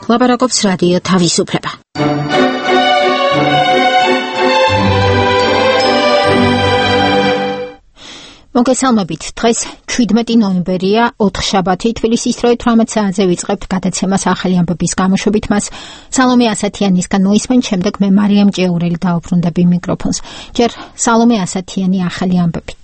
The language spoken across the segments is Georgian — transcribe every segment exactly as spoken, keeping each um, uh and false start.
ლაპარაკობს რადიო თავისუფლება. მოგესალმებით, დღეს შვიდმეტი ნოემბერია, ოთხშაბათი, თბილისის დროით ორმოცი საათზე ვიწყებთ გადაცემას ახალი ამბების გამოშვებით. მას სალომე ასათიანისგან მოისმენთ, შემდეგ მე მარიამ ჭეურელი დაუბრუნდები მიკროფონს. ჯერ სალომე ასათიანი ახალი ამბებით.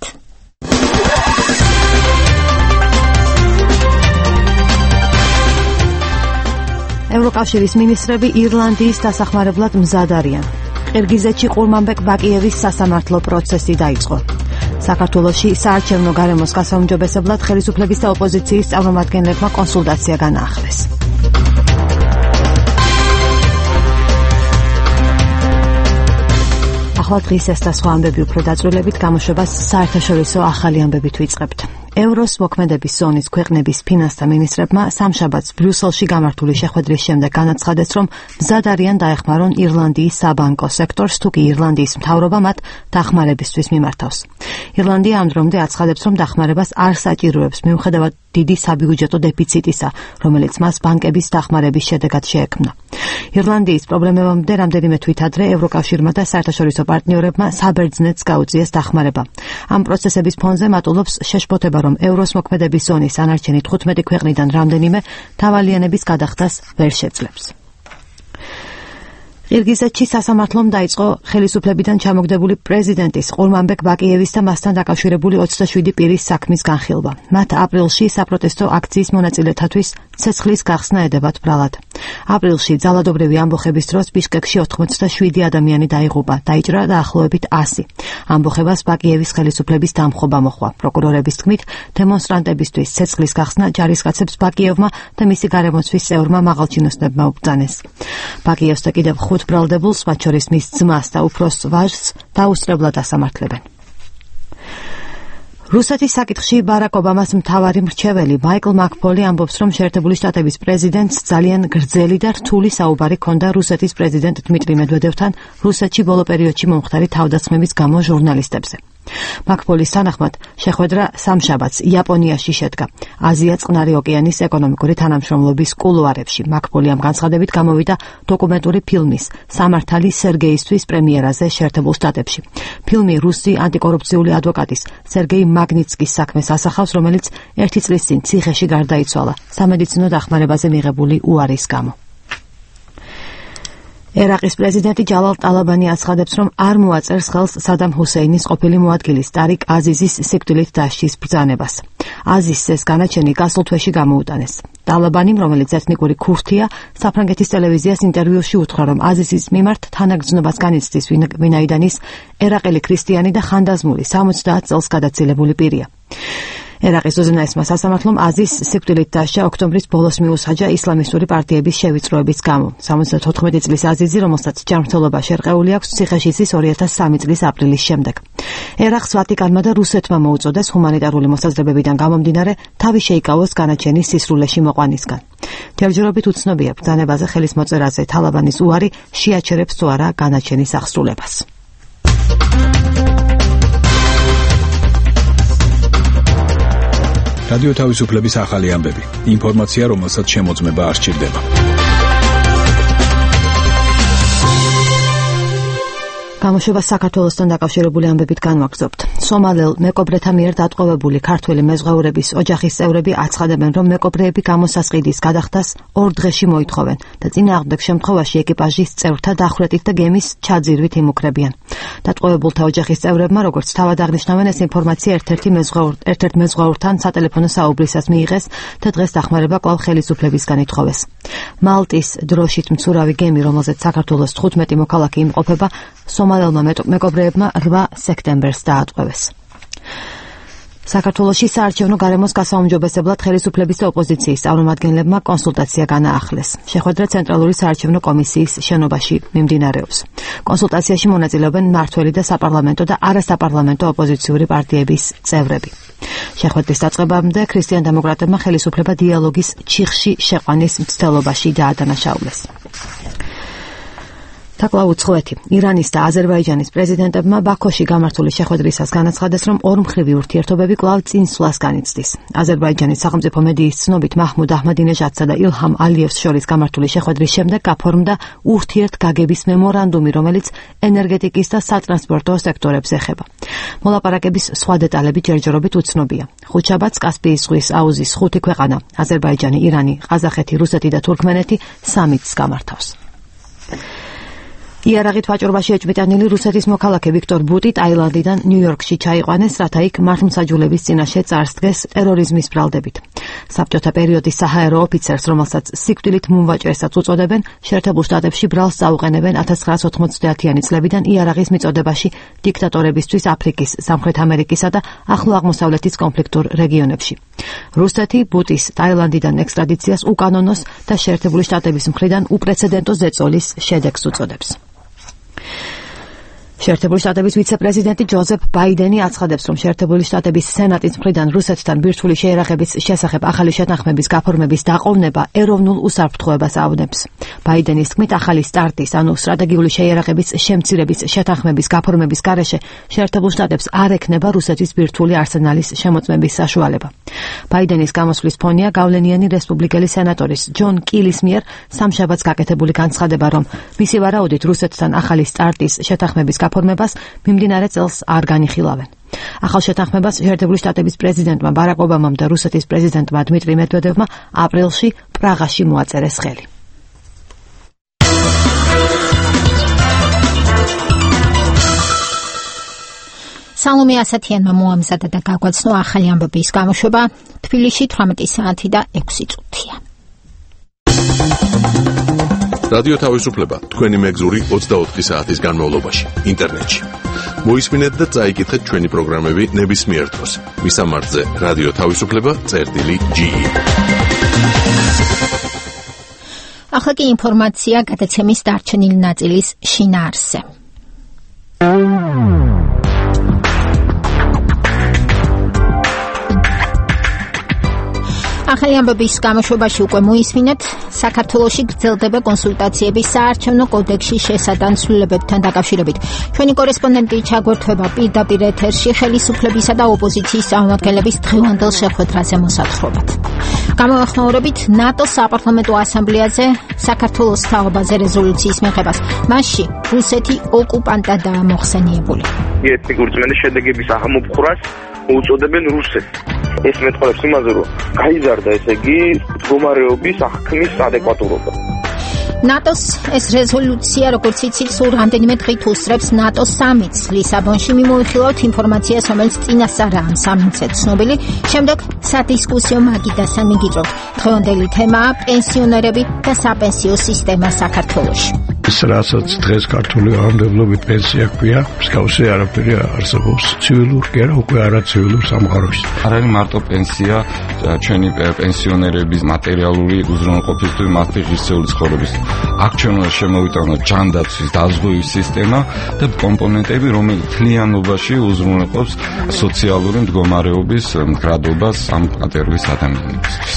ევროკავშირის მინისტრები ირლანდიის დასახმარებლად მზად არიან. ყირგიზეთში ყურმანბეკ ბაკიევის სასამართლო პროცესი დაიწყო. საქართველოში საარჩევნო გარემოს გასაუმჯობესებლად ხელისუფლების და ოპოზიციის წარმომადგენლებმა კონსულტაცია განაახლეს. ახლა დღის ეს და სხვა ამბები უფრო დაწვრილებით გამოშვებას საერთაშორისო ახალი ამბებით ვიწყებთ. ევროს მოქმედების ზონის ქვეყნების ფინანსთა მინისტრებმა სამშაბათს ბრიუსელში გამართული შეხვედრის შემდეგ განაცხადეს, რომ მზად არიან დაეხმარონ ირლანდიის საბანკო სექტორს, თუ კი ირლანდიის მთავრობა მათ დახმარებისთვის მიმართავს. ირლანდია ამ დრომდე აცხადებს, რომ დახმარებას არ საჭიროებს მიუხედავად დიდი საბიუჯეტო დეფიციტისა, რომელიც მას ბანკების დახმარების შედეგად შეექმნა. ირლანდიის პრობლემებამდე რამდენიმე თვით ადრე ევროკავშირმა და საერთაშორისო პარტნიორებმა საბერძნეთს გაუწიეს დახმარება. ამ პროცესების ფონზე მატულობს შეშფოთება, რომ ევროს მოქმედების ზონის ანარჩენი თხუთმეტი ქვეყნიდან რამდენიმე დავალიანების გადახდას ვერ შეძლებს. ყირგიზეთში სასამართლომ დაიწყო ხელისუფლებიდან ჩამოგდებული პრეზიდენტის ყურმანბეკ ბაკიევის და მასთან დაკავშირებული ოცდაშვიდი პირის საქმის განხილვა. მათ აპრილში საპროტესტო აქციის მონაწილეთათვის ცეცხლის გახსნა ედებათ ბრალად. აპრილში ძალადობრივი ამბოხების დროს ბიშკეკში ოთხმოცდაშვიდი ადამიანი დაიღუპა, დაიჭრა დაახლოებით ასი. ამბოხებას ბაკიევის ხელისუფლების დამხობა მოჰყვა. პროკურორების თქმით, დემონსტრანტებისთვის ცეცხლის გახსნა ჯარისკაცებს ბაკიევმა და მისი გარემოცვის წევრმა მაღალჩინოსნებმა უბრძანეს. ბაკიევს და კიდევ ხუთ ბრალდებულს, მათ შორის მის ძმას და უფროს ვაჟს დაუსწრებლად ასამართლებენ. რუსეთის საკითხში ბარაკ ობამას მთავარი მრჩეველი მაიკლ მაკფოლი ამბობს, რომ შეერთებული შტატების პრეზიდენტს ძალიან გრძელი და რთული საუბარი ჰქონდა რუსეთის პრეზიდენტ დმიტრი მედვედევთან რუსეთში ბოლო პერიოდში მომხდარი თავდასხმების გამო ჟურნალისტებზე. მაკფოლის თანახმად შეხვედრა სამშაბათს იაპონიაში შედგა, აზია წყნარი ოკეანის ეკონომიკური თანამშრომლობის კულუარებში. მაკფოლი ამ განცხადებით გამოვიდა დოკუმენტური ფილმის სამართალი სერგეისთვის პრემიერაზე შეერთებულ შტატებში. ფილმი რუსი ანტიკორუფციული ადვოკატის სერგეი მაგნიცკის საქმეს ასახავს, რომელიც ერთი წლის წინ ციხეში გარდაიცვალა სამედიცინო დახმარებაზე მიღებული უარის გამო. ერაყის პრეზიდენტი ჯალალ ტალაბანი აცხადებს, რომ არ მოაწერს ხელს სადამ ჰუსეინის ყოფილი მოადგილის ტარიკ აზიზის სიკვდილით დასჯის ბრძანებას. აზიზს ეს განაჩენი გასულ თვეში გამოუტანეს. ტალაბანიმ, რომელიც ეთნიკური ქურთია, საფრანგეთის ტელევიზიას ინტერვიუში უთხრა, რომ აზიზის მიმართ თანაგრძნობას განიცდის, ვინაიდან ის ერაყელი ქრისტიანი და ხანდაზმული სამოცდაათ წელს გადაცილებული პირია. ერაყის უზენაესმა სასამართლომ აზის სიკვდილით დასჯა ოქტომბრის ბოლოს მიუსაჯა ისლამისტური პარტიების შევიწროების გამო. სამოცდათოთხმეტი წლის აზიზი, რომელსაც ჯანმრთელობა შერყეული აქვს, ციხეში იცის ორი ათას სამი წლის აპრილის შემდეგ. ერაყს ვატიკანმა და რუსეთმა მოუწოდეს ჰუმანიტარული მოსაზრებებიდან გამომდინარე თავი შეიკავოს განაჩენის სისრულეში მოყვანისგან. ჯერჯერობით უცნობია ბრძანებაზე ხელის მოწერაზე ტალაბანის უარი შეაჩერებს თუ არა განაჩენის აღსრულებას. რადიო თავისუფლების ახალი ამბები. ინფორმაცია, რომელსაც შემოწმება არ სჭირდება. გამოშვება საქართველოსთან დაკავშირებული ამბებით განვაგრძობთ. სომალელ მეკობრეთა მიერ დატყვევებული ქართველი მეზღვაურების ოჯახის წევრები აცხადებენ, რომ მეკობრეები გამოსასყიდის გადახდას ორ დღეში მოითხოვენ და წინააღმდეგ შემთხვევაში ეკიპაჟის წევრთა დახვრეტით და გემის ჩაძირვით იმუქრებიან. დატყვევებულთა ოჯახის წევრებმა, როგორც თავად აღნიშნავენ, ეს ინფორმაცია ერთ-ერთი მეზღვაურ ერთ-ერთ მეზღვაურთან სატელეფონო საუბრისას მიიღეს და დღეს დახმარება კვლავ ხელისუფლებისგან ითხოვეს. მალტის დროშით მცურავი გემი, რომელზეც საქართველოს თხუთმეტი მოქალაქე იმყოფება, სომალელმა მეკობრეებმა რვა სექტემბერს დაატყვევეს. საქართველოში საარჩევნო გარემოს გასაუმჯობესებლად ხელისუფლების და ოპოზიციის წარმომადგენლებმა კონსულტაცია განაახლეს. შეხვედრა ცენტრალური საარჩევნო კომისიის შენობაში მიმდინარეობს. კონსულტაციაში მონაწილეობენ მმართველი და საპარლამენტო და არასაპარლამენტო ოპოზიციური პარტიების წევრები. შეხვედრის დაწყებამდე ქრისტიან-დემოკრატებმა ხელისუფლება დიალოგის ჩიხში შეყვანის მცდელობაში დაადანაშაულეს. თაკლავ უცხოეთი ირანის და აზერბაიჯანის პრეზიდენტებმა ბაქოში გამართული შეხვედრისას განაცხადეს, რომ ორმხრივი ურთიერთობები კვლავ წინსვლას განიცდის. აზერბაიჯანის სახელმწიფო მედიის ცნობით მაჰმუდ აჰმადინეჟადსა და ილჰამ ალიევს შორის გამართული შეხვედრის შემდეგ გაფორმდა ურთიერთგაგების მემორანდუმი, რომელიც ენერგეტიკის და სატრანსპორტო სექტორებს ეხება. მოლაპარაკების სხვა დეტალები ჯერჯერობით უცნობია. ხუთშაბათს კასპიის ზღვის აუზის ხუთი ქვეყანა აზერბაიჯანი, ირანი, ყაზახეთი, რუსეთი და თურქმენეთი სამიტს გამართავს. იარაღით ვაჭრობაში ეჭვმიტანილი რუსეთის მოქალაქე ვიქტორ ბუტი ტაილანდიდან ნიუ-იორკში ჩაიყვანეს, რათა იქ მართლმსაჯულების წინაშე წარსდგეს ტერორიზმის ბრალდებით. საბჭოთა პერიოდის საჰაერო ოფიცერს, რომელსაც სიკვდილით მუმვაჭრესაც უწოდებენ, შეერთებულ შტატებში ბრალს წაუყენებენ ათას ცხრაასი ოთხმოცდაათიანი წლებიდან იარაღის მიწოდებაში დიქტატორებისთვის აფრიკის, სამხრეთ ამერიკისა და ახლო აღმოსავლეთის კონფლიქტურ რეგიონებში. რუსეთი ბუტის ტაილანდიდან ექსტრადიციას უკანონოს და შეერთებული შტატების მხრიდან უპრეცედენტო ზეწოლის შედეგს უწოდებს. შეერთებული შტატების ვიცე-პრეზიდენტი ჯოზეფ ბაიდენი აცხადებს, რომ შეერთებული შტატების სენატის მხრიდან რუსეთთან ბირთვული შეერაღების შესახებ ახალი შეთანხმების გაფორმების დაყოვნება ეროვნულ უსაფრთხოებას ავნებს. ბაიდენის თქმით, ახალი სტარტის, ანუ სტრატეგიული შეერაღების შემცირების შეთანხმების გაფორმების გარეშე შეერთებულ შტატებს არ ექნება რუსეთის ბირთვული არსენალის შემოწმების საშუალება. ბაიდენის გამოსვლის ფონია გავლენიანი რესპუბლიკელი სენატორის ჯონ კილის მიერ სამშაბათს გაკეთებული განცხადება, რომ მისი ვარაუდით რუსეთთან ახალი სტარტის შეთანხმების გაფორმებას მიმდინარე წელს არ განიხილავენ. ახალ შეთანხმებას შეერთებული შტატების პრეზიდენტმა ბარაკ ობამამ და რუსეთის პრეზიდენტმა დმიტრი მედვედევმა აპრილში პრაღაში მოაწერეს ხელი. სალომე ასათიანმა მოამზადა და გაგვაცნო ახალი ამბების გამოშვება. თბილისში თვრამეტი საათი და ექვსი წუთია. რადიო თავისუფლება თქვენი მეგზური ოცდაოთხი საათის განმავლობაში ინტერნეტში. მოისმინეთ და წაიკითხეთ ჩვენი პროგრამები ნებისმიერ დროს. მისამართზე რადიო თავისუფლება წერტილი ჯი. ახლა კი ინფორმაცია გადაცემის დარჩენილი ნაწილის შინაარსზე. ახალი ამბების გამოშვებაში უკვე მოისმინეთ, საქართველოში გრძელდება კონსულტაციები საარჩევნო კოდექსის შესატანცვლებებთან დაკავშირებით. ჩვენი კორესპონდენტი ჩაგვერთვება პირდაპირ ეთერში ხელისუფლებისა და ოპოზიციის წარმომადგენლების დღევანდელ შეხვედრაზე მოსათხრობად. გამოეხმაურებით ნატოს საპარლამენტო ასამბლეაზე საქართველოს თაობაზე რეზოლუციის მიღებას. მასში რუსეთი ოკუპანტადაა მოხსენიებული. ეთნიკური რწმენის შედეგების აღმოფხვრას უწოდებენ რუსეთს. ეს მეტყოლებს იმაზე, რომ გაიზარდა ესე იგი მდგომარეობის აღქმის ადეკვატურობა. ნატოს ეს რეზოლუცია, როგორც იცით, სულ რამდენიმე დღით უსწრებს ნატოს სამიტს ლისაბონში. მიმოიხილავთ ინფორმაციას, რომელიც წინასწარაა ამ სამიტზე ცნობილი. შემდეგ სადისკუსიო მაგიდასთან მიგიწევთ. დღევანდელი თემაა პენსიონერები და საპენსიო სისტემა საქართველოში. ის რასაც დღეს ქართული გამარჯვებით პენსია ქვია, მსგავსი არაფერი არსებობს ცივილურ კი არა, უკვე არაცივილურ სამყაროში. არ არის მარტო პენსია ჩვენი პენსიონერების მატერიალური უზრუნველყოფისთვის, მათი ღირსეული ცხოვრების. აქ ჩვენ უნდა შემოვიტანოთ ჯანდაცვის დაზღვევის სისტემა და კომპონენტები, რომელიც მთლიანობაში უზრუნველყოფს სოციალური მდგომარეობის მდგრადობას ამ კატეგორიის ადამიანებისთვის.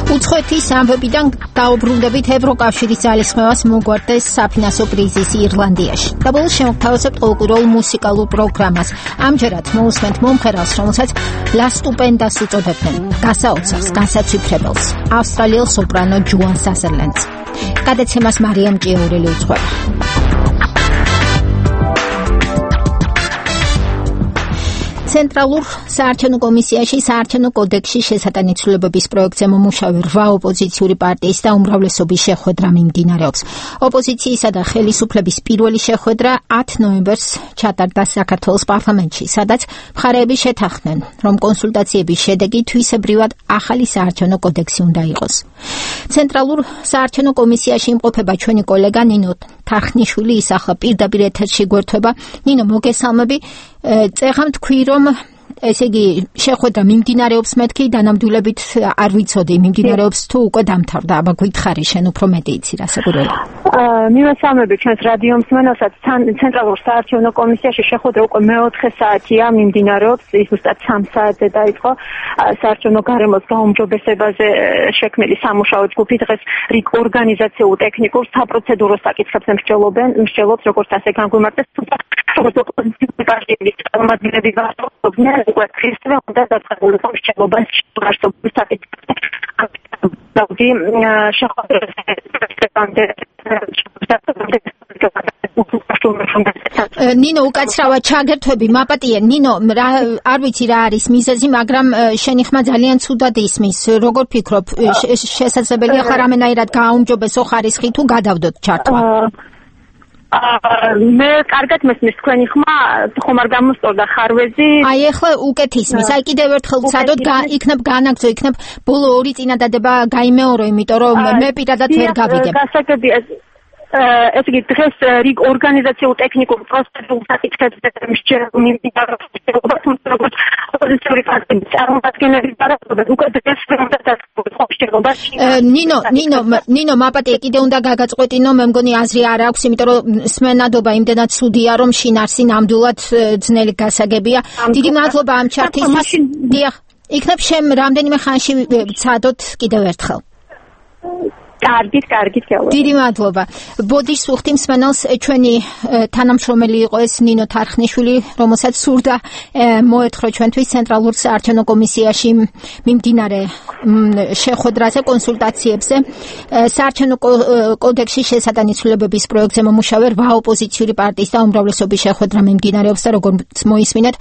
უცხოეთის ამბებიდან დაუბრუნდებით ევროკავშირის ძალისხმევას მოგვარდეს საფინანსო კრიზისი ირლანდიაში. და ბოლოს შემოგთავაზებთ ყოველკვირეულ მუსიკალურ პროგრამას. ამჯერად მოусმენთ მომღერალს, რომელსაც ლა სტუპენდას უწოდებდნენ, გასაოცარს, განსაცვიფრებელს, ავსტრალიელ სოპრანო ჯუან საზერლენდს. გადაცემას მარიამ ჭიაურელი უძღვება. ცენტრალურ საარჩევნო კომისიაში საარჩევნო კოდექსის შესატანცვლებების პროექტზე მომუშავე რვა ოპოზიციური პარტიის და უმრავლესობის შეხვედრა მიმდინარეობს. ოპოზიციისა და ხელისუფლების პირველი შეხვედრა ათი ნოემბერს ჩატარდა საქართველოს პარლამენტში, სადაც მხარეები შეთანხმდნენ, რომ კონსულტაციების შედეგი თვისებრივად ახალი საარჩევნო კოდექსი უნდა იყოს. ცენტრალურ საარჩევნო კომისიაში იმყოფება ჩვენი კოლეგა ნინო თახნიშვილი, ის ახლა პირდაპირ ეთერში გვერდება. ნინო, მოგესალმები. წეღამ თქვი, რომ ესე იგი შეხვედრა მიმდინარეობს მეთქი დანამდვილებით არ ვიცოდი მიმდინარეობს თუ უკვე დამთავრდა აბა გითხარი შენ უფრო მეტი იცი რასაკვირველია მივესალმები ჩვენს რადიო მსმენელსაც ცენტრალურ საარჩევნო კომისიაში შეხვედრა უკვე მეოთხე საათია მიმდინარეობს ის ზუსტად სამ საათზე დაიწყო საარჩევნო გარემოს გაუმჯობესებაზე შექმნილი სამუშაო ჯგუფი დღეს რიგ ორგანიზაციულ ტექნიკურ საპროცედურო საკითხებზე მსჯელობენ მსჯელობს როგორც ასე განგვიმარტეს როგორც ოპოზიციური პარტიების წარმომადგენლები ვარაუდობდნენ უკვე ქრისტე უნდა დაწყებულიყო მსჯელობა არსებული საკითხებზე დავდი ნინო უკაცრავად ჩაგერთვები მაპატიე ნინო არ ვიცი რა არის მიზეზი მაგრამ შენი ხმა ძალიან ცუდად ისმის როგორ ფიქრობ შესაძლებელია ხარ რამენაირად გააუმჯობესო ხარისხი თუ გადავდოთ ჩართვა მე კარგად მესმის თქვენი ხმა ხომ არ გამოსწორდა ხარვეზი აი ახლა უკეთ ისმის აი კიდევ ერთხელ ვცადოთ იქნებ განაგრძო იქნებ ბოლო ორი წინადადება გაიმეორო იმიტომ რომ მე პირადად ვერ გავიგებ გასაგებია ეს იგი დღეს რიგ ორგანიზაციულ ტექნიკურ პროცედურულ საკითხებზე მიმდინარეობს როგორც ოპოზიციური პარტიების წარმომადგენლები ვარაუდობენ უკვე დღეს უნდა დაწყებულიყო ნინო ნინო ნინო მაპატიე კიდე უნდა გაგაწყვეტინო მე მგონი აზრი არ აქვს იმიტომ რომ სმენადობა იმდენად ცუდია რომ შინარსი ნამდვილად ძნელი გასაგებია დიდი მადლობა ამ ჩართისთვის დიახ იქნებ შენ რამდენიმე ხანში ვცადოთ კიდევ ერთხელ კარგით, კარგით გეუბნები. დიდი მადლობა. ბოდიშ სუხთი მსმენელს ჩვენი თანამშრომელი იყო ეს ნინო თარხნიშვილი, რომელსაც სურდა მოეთხოვა ჩვენთვის ცენტრალურ საარჩევნო კომისიაში მიმდინარე შეხვედრაზე, კონსულტაციებზე. საარჩევნო კოდექსის შესატანისწულებების პროექტზე მომუშავე რვა ოპოზიციური პარტიის და უმრავლესობის შეხვედრა მიმდინარეობს და როგორც მოისმინეთ,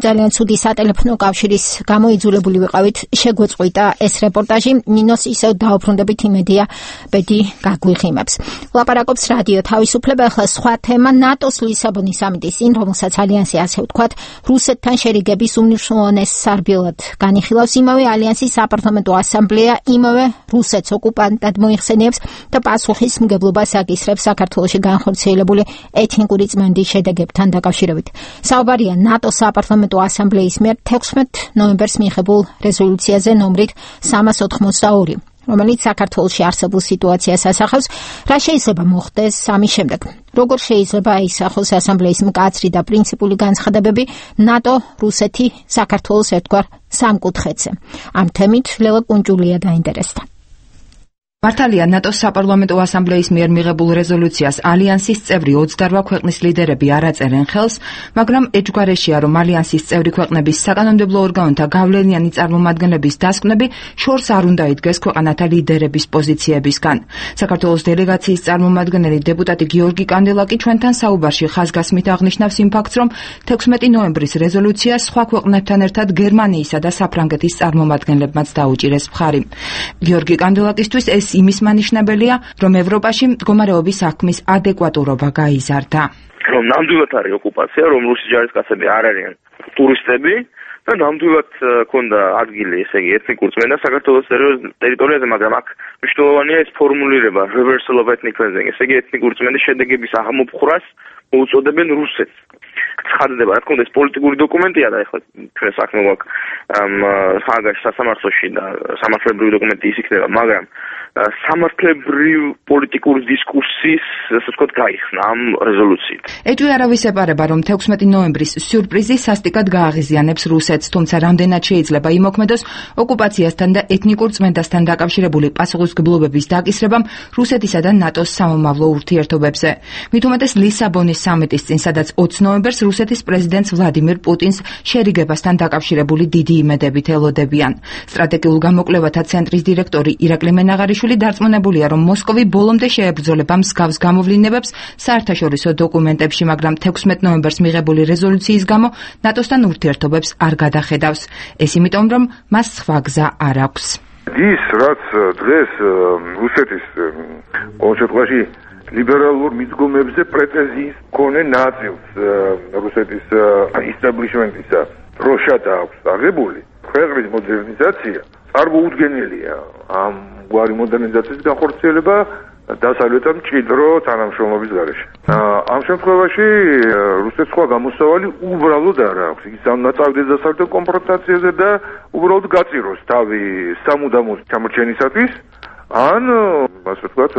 ძალიან ცუდი სატელეფონო კავშირის გამო იძულებული ვიყავით შეგვეწყვიტა ეს რეპორტაჟი. ნინოს ისევ დაუბრუნდებით იმედია ბედი გაგვიღიმებს. ლაპარაკობს რადიო თავისუფლება, ახლა სხვა თემა ნატოს ლისაბონის სამიტის წინ, რომელსაც ალიანსი ასე ვთქვათ, რუსეთთან შერიგების უმნიშვნელოვანეს სარბიელად განიხილავს იმავე ალიანსის საპარლამენტო ასამბლეა, იმავე რუსეთს ოკუპანტად მოიხსენიებს და პასუხისმგებლობას აკისრებს საქართველოში განხორციელებული ეთნიკური წმენდის შედეგებთან დაკავშირებით. საუბარია ნატოს საპარლამენტო ასამბლეის მიერ თექვსმეტ ნოემბერს მიღებულ რეზოლუციაზე ნომრით სამას ოთხმოცდაორი. რომელიც საქართველოში არსებულ სიტუაციას ასახავს, რა შეიძლება მოხდეს ამის შემდეგ. როგორ შეიძლება აისახოს ასამბლეის მკაცრი და პრინციპული განცხადებები ნატო, რუსეთი, საქართველოს ერთგვარ სამკუთხედზე. ამ თემით ლელა კუნჯულია დაინტერესდა. მართალია ნატოს საპარლამენტო ასამბლეის მიერ მიღებულ რეზოლუციას ალიანსის წევრი ოცდარვა ქვეყნის ლიდერები არ აწერენ ხელს, მაგრამ ეჭვგარეშეა, რომ ალიანსის წევრი ქვეყნების საკანონმდებლო ორგანოთა გავლენიანი წარმომადგენლების დასკვნები შორს არ უნდა იდგეს ქვეყანათა ლიდერების პოზიციებისგან. საქართველოს დელეგაციის წარმომადგენელი დეპუტატი გიორგი კანდელაკი ჩვენთან საუბარში ხაზგასმით აღნიშნავს იმ ფაქტს, რომ თექვსმეტი ნოემბრის რეზოლუციას სხვა ქვეყნებთან ერთად გერმანიისა და საფრანგეთის წარმომადგენლებმაც დაუჭირეს მხარი. გიორგი კანდელაკისთვის ეს იმის მანიშნებელია, რომ ევროპაში მდგომარეობის საქმის ადეკვატურობა გაიზარდა. რომ ნამდვილად არის ოკუპაცია, რომ რუსი ჯარისკაცები არ არიან ტურისტები და ნამდვილად ქონდა ადგილი, ესე იგი, ეთნიკურ წმენდას საქართველოს ტერიტორიაზე, მაგრამ აქ მნიშვნელოვანია ეს ფორმულირება reversal of ethnic cleansing, ესე იგი, ეთნიკური წმენდის შედეგების აღმოფხვრას მოუწოდებენ რუსეთს. ცხადდება, რა თქმა უნდა, ეს პოლიტიკური დოკუმენტია და ეხლა ჩვენ საქმე გვაქვს სააგაში სასამართლოში და სამართლებრივი დოკუმენტი ის იქნება, მაგრამ სამართლებრივ პოლიტიკური დისკუსიის, ასე ვთქვათ, გაიხსნა ამ რეზოლუციით. ეჭვი არავის ეპარება, რომ თექვსმეტი ნოემბრის სიურპრიზი სასტიკად გააღიზიანებს რუსეთს, თუმცა რამდენად შეიძლება იმოქმედოს ოკუპაციასთან და ეთნიკურ წმენდასთან დაკავშირებული პასუხისმგებლობების დაკისრებამ რუსეთისა და ნატოს სამომავლო ურთიერთობებზე. მით უმეტეს ლისაბონის სამიტის წინ, სადაც ოცი ნოემბერს რუსეთის პრეზიდენტს ვლადიმირ პუტინს შერიგებასთან დაკავშირებული დიდი იმედებით ელოდებიან. სტრატეგიულ გამოკვლევათა ცენტრის დირექტორი ირაკლი მენაღარიშვილი დარწმუნებულია, რომ მოსკოვი ბოლომდე შეებრძოლება მსგავს გამოვლინებებს საერთაშორისო დოკუმენტებში, მაგრამ თექვსმეტ ნოემბერს მიღებული რეზოლუციის გამო ნატოსთან ურთიერთობებს არ გადახედავს. ეს იმიტომ, რომ მას სხვა გზა არ აქვს. ის რაც დღეს რუსეთის კონსტიტუციაში ლიბერალურ მიდგომებზე პრეტენზიის მქონე ნაწილს რუსეთის ისტაბლიშმენტისა დროშად აქვს აღებული, ქვეყნის მოდერნიზაცია წარმოუდგენელია. ამ გვარი მოდერნიზაციის განხორციელება დასავლეთთან მჭიდრო თანამშრომლობის გარეშე. ამ შემთხვევაში რუსეთს სხვა გამოსავალი უბრალოდ არ აქვს. ის ამ წავიდეს დასავლეთთან კონფრონტაციაზე და უბრალოდ გაწიროს თავი სამუდამო ჩამორჩენისათვის, ან ასე ვთქვათ,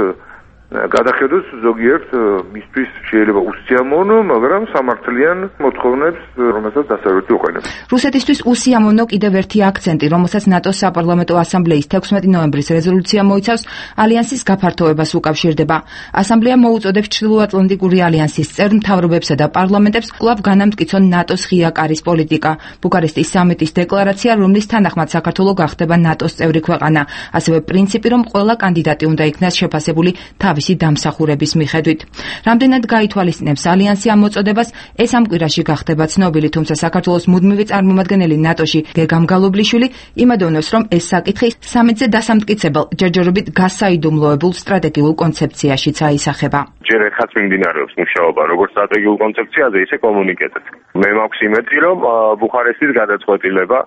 გადახედოს ზოგიერთ მისთვის შეიძლება უსიამოვნო, მაგრამ სამართლიან მოთხოვნებს, რომელსაც დასავლეთი უყენებს. რუსეთისთვის უსიამოვნო კიდევ ერთი აქცენტი, რომელსაც ნატოს საპარლამენტო ასამბლეის თექვსმეტი ნოემბრის რეზოლუცია მოიცავს, ალიანსის გაფართოებას უკავშირდება. ასამბლეა მოუწოდებს ჩრდილოატლანტიკური ალიანსის წევრ მთავრობებსა და პარლამენტებს კვლავ განამტკიცონ ნატოს ღია კარის პოლიტიკა. ბუქარესტის სამიტის დეკლარაცია, რომლის თანახმად საქართველო გახდება ნატოს წევრი ქვეყანა, ასევე პრინციპი, რომ ყველა კანდიდატი უნდა იქნას შეფასებული თავისი დამსახურების მიხედვით. რამდენად გაითვალისწინებს ალიანსი ამ მოწოდებას, ეს ამ კვირაში გახდება ცნობილი, თუმცა საქართველოს მუდმივი წარმომადგენელი ნატოში გეგამ გალობლიშვილი იმედოვნებს, რომ ეს საკითხი სამიტზე დასამტკიცებელ, ჯერჯერობით გასაიდუმლოებულ სტრატეგიულ კონცეფციაშიც აისახება. ჯერ ერთხაც მიმდინარეობს მუშაობა როგორც სტრატეგიულ კონცეფციაზე, ისე კომუნიკეტად. მე მაქვს იმედი, რომ ბუქარესტის გადაწყვეტილება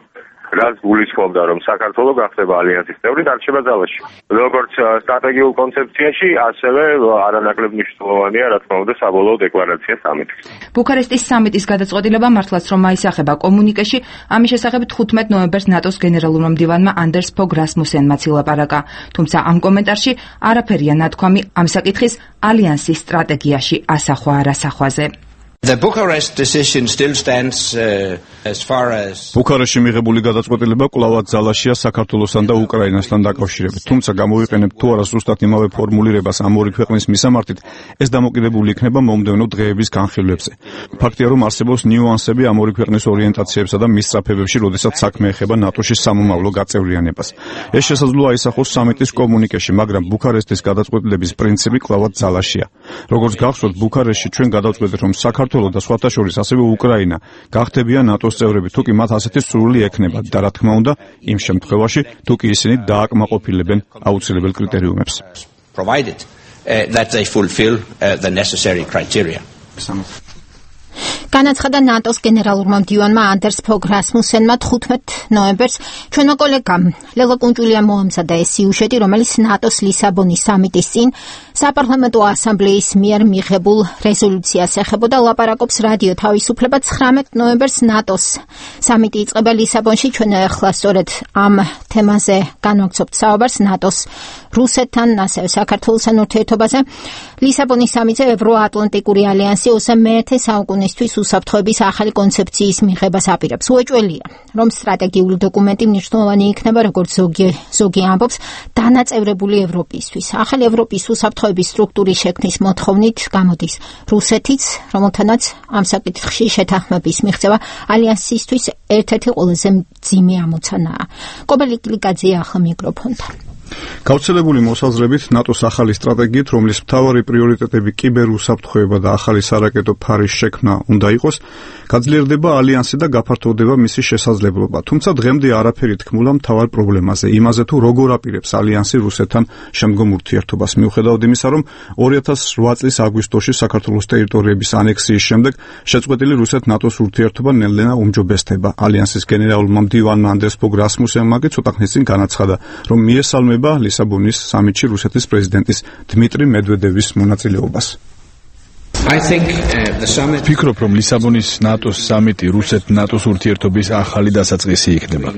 რაც გულისხმობდა, რომ საქართველო გახდება ალიანსის წევრი, დარჩება ძალაში. როგორც სტრატეგიულ კონცეფციაში, ასევე არანაკლებ მნიშვნელოვანია, რა თქმა უნდა, საბოლოო დეკლარაცია სამიტის. ბუქარესტის სამიტის გადაწყვეტილება მართლაც რომ აისახება კომუნიკეში, ამის შესახებ თხუთმეტ ნოემბერს ნატოს გენერალურმა მდივანმა ანდერს ფოგ რასმუსენმაც ილაპარაკა. თუმცა ამ კომენტარში არაფერია ნათქვამი ამ საკითხის ალიანსის სტრატეგიაში ასახვა არასახვაზე. The Bucharest decision still stands uh, as far as ბუქარესტში მიღებული გადაწყვეტილება კვლავაც ძალაშია საქართველოსთან და უკრაინასთან დაკავშირებით. თუმცა გამოვიყენებ თუ არა ზუსტად იმავე ფორმულირებას ამ ორი ქვეყნის მისამართით, ეს დამოკიდებული იქნება მომდევნო დღეების განხილვებზე. ფაქტია, რომ არსებობს ნიუანსები ამ ორი ქვეყნის ორიენტაციებსა და მისწრაფებებში, როდესაც საქმე ეხება ნატოში სამომავლო გაწევრიანებას. ეს შესაძლოა აისახოს სამიტის კომუნიკეში, მაგრამ ბუქარესტის გადაწყვეტილების პრინციპი კვლავაც ძალაშია. როგორც გახსოვთ, ბუქარესტში ჩვენ გადავწყვეტეთ, რომ საქართველო და სხვათა შორის ასევე უკრაინა გახდებიან ნატოს წევრები, თუკი მათ ასეთი სურვილი ექნებათ და რა თქმა უნდა, იმ შემთხვევაში, თუკი ისინი დააკმაყოფილებენ აუცილებელ კრიტერიუმებს. provided uh, that they fulfill uh, the necessary criteria. განაცხადა ნატოს გენერალურმა მდივანმა ანდერს ფოგ რასმუსენმა თხუთმეტ ნოემბერს ჩვენმა კოლეგამ ლელა კუნჭულიამ მოამზადა ეს სიუჟეტი, რომელიც ნატოს ლისაბონის სამიტის წინ საპარლამენტო ასამბლეის მიერ მიღებულ რეზოლუციას ეხებოდა. ლაპარაკობს რადიო თავისუფლება. ცხრამეტ ნოემბერს ნატოს სამიტი იწყება ლისაბონში. ჩვენ ახლა სწორედ ამ თემაზე განვაგრძობთ საუბარს ნატოს რუსეთთან, ასევე საქართველოსთან ურთიერთობაზე. ლისაბონის სამიტზე ევროატლანტიკური ალიანსი ოცე მეათე საუკუნისთვის უსაფრთხოების ახალი კონცეფციის მიღებას აპირებს. უეჭველია, რომ სტრატეგიული დოკუმენტი მნიშვნელოვანი იქნება, როგორც ზოგი ზოგი ამბობს, დანაწევრებული ევროპისთვის. ახალი ევროპის უსაფრთხოების სტრუქტურის შექმნის მოთხოვნით გამოდის რუსეთიც, რომელთანაც ამ საკითხში შეთანხმების მიღწევა ალიანსისთვის ერთ-ერთი ყველაზე მძიმე ამოცანაა. კობელი კლიკაძე ახლა მიკროფონთან. გავრცელებული მოსაზრებით ნატოს ახალი სტრატეგიით, რომლის მთავარი პრიორიტეტები კიბერუსაფრთხოება და ახალი სარაკეტო ფარის შექმნა უნდა იყოს, გაძლიერდება ალიანსი და გაფართოვდება მისი შესაძლებლობა. თუმცა დღემდე არაფერი თქმულა მთავარ პრობლემაზე, იმაზე თუ როგორ აპირებს ალიანსი რუსეთთან შემდგომ ურთიერთობას. მიუხედავად იმისა, რომ ორი ათას რვა წლის აგვისტოში საქართველოს ტერიტორიების ანექსიის შემდეგ შეწყვეტილი რუსეთ-ნატოს ურთიერთობა ნელ-ნელა უმჯობესდება. ალიანსის გენერალურმა მდივანმა ანდერს ფოგ რასმუსენმა კი ცოტა ხნის წინ განაცხადა, რომ მიესალმება ლისაბონის სამიტში რუსეთის პრეზიდენტის დმიტრი მედვედევის მონაწილეობას. ვფიქრობ, რომ ლისაბონის ნატოს სამიტი რუსეთ-ნატოს ურთიერთობის ახალი დასაწყისი იქნება.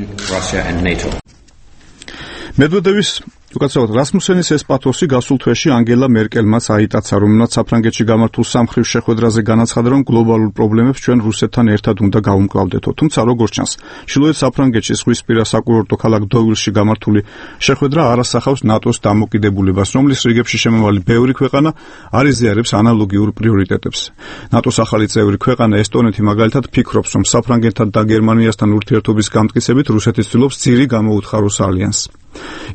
მედვედევის უკაცრავად რასმუსენის ეს პათოსი გასულ თვეში ანგელა მერკელმაც აიტაცა, რომელმაც საფრანგეთში გამართულ სამხრივ შეხვედრაზე განაცხადა, რომ გლობალურ პრობლემებს ჩვენ რუსეთთან ერთად უნდა გავუმკლავდეთო. თუმცა როგორც ჩანს, ჩრდილოეთ საფრანგეთში ზღვისპირა საკურორტო ქალაქ დოვილში გამართული შეხვედრა არ ასახავს ნატოს დამოკიდებულებას, რომლის რიგებში შემავალი ბევრი ქვეყანა არ იზიარებს ანალოგიურ პრიორიტეტებს. ნატოს ახალი წევრი ქვეყანა ესტონეთი მაგალითად ფიქრობს, რომ საფრანგეთთან და გერმანიასთან ურთიერთობის გამტკიცებით რუსეთი ცდილობს ძირი გამოუთხაროს ალიანსს.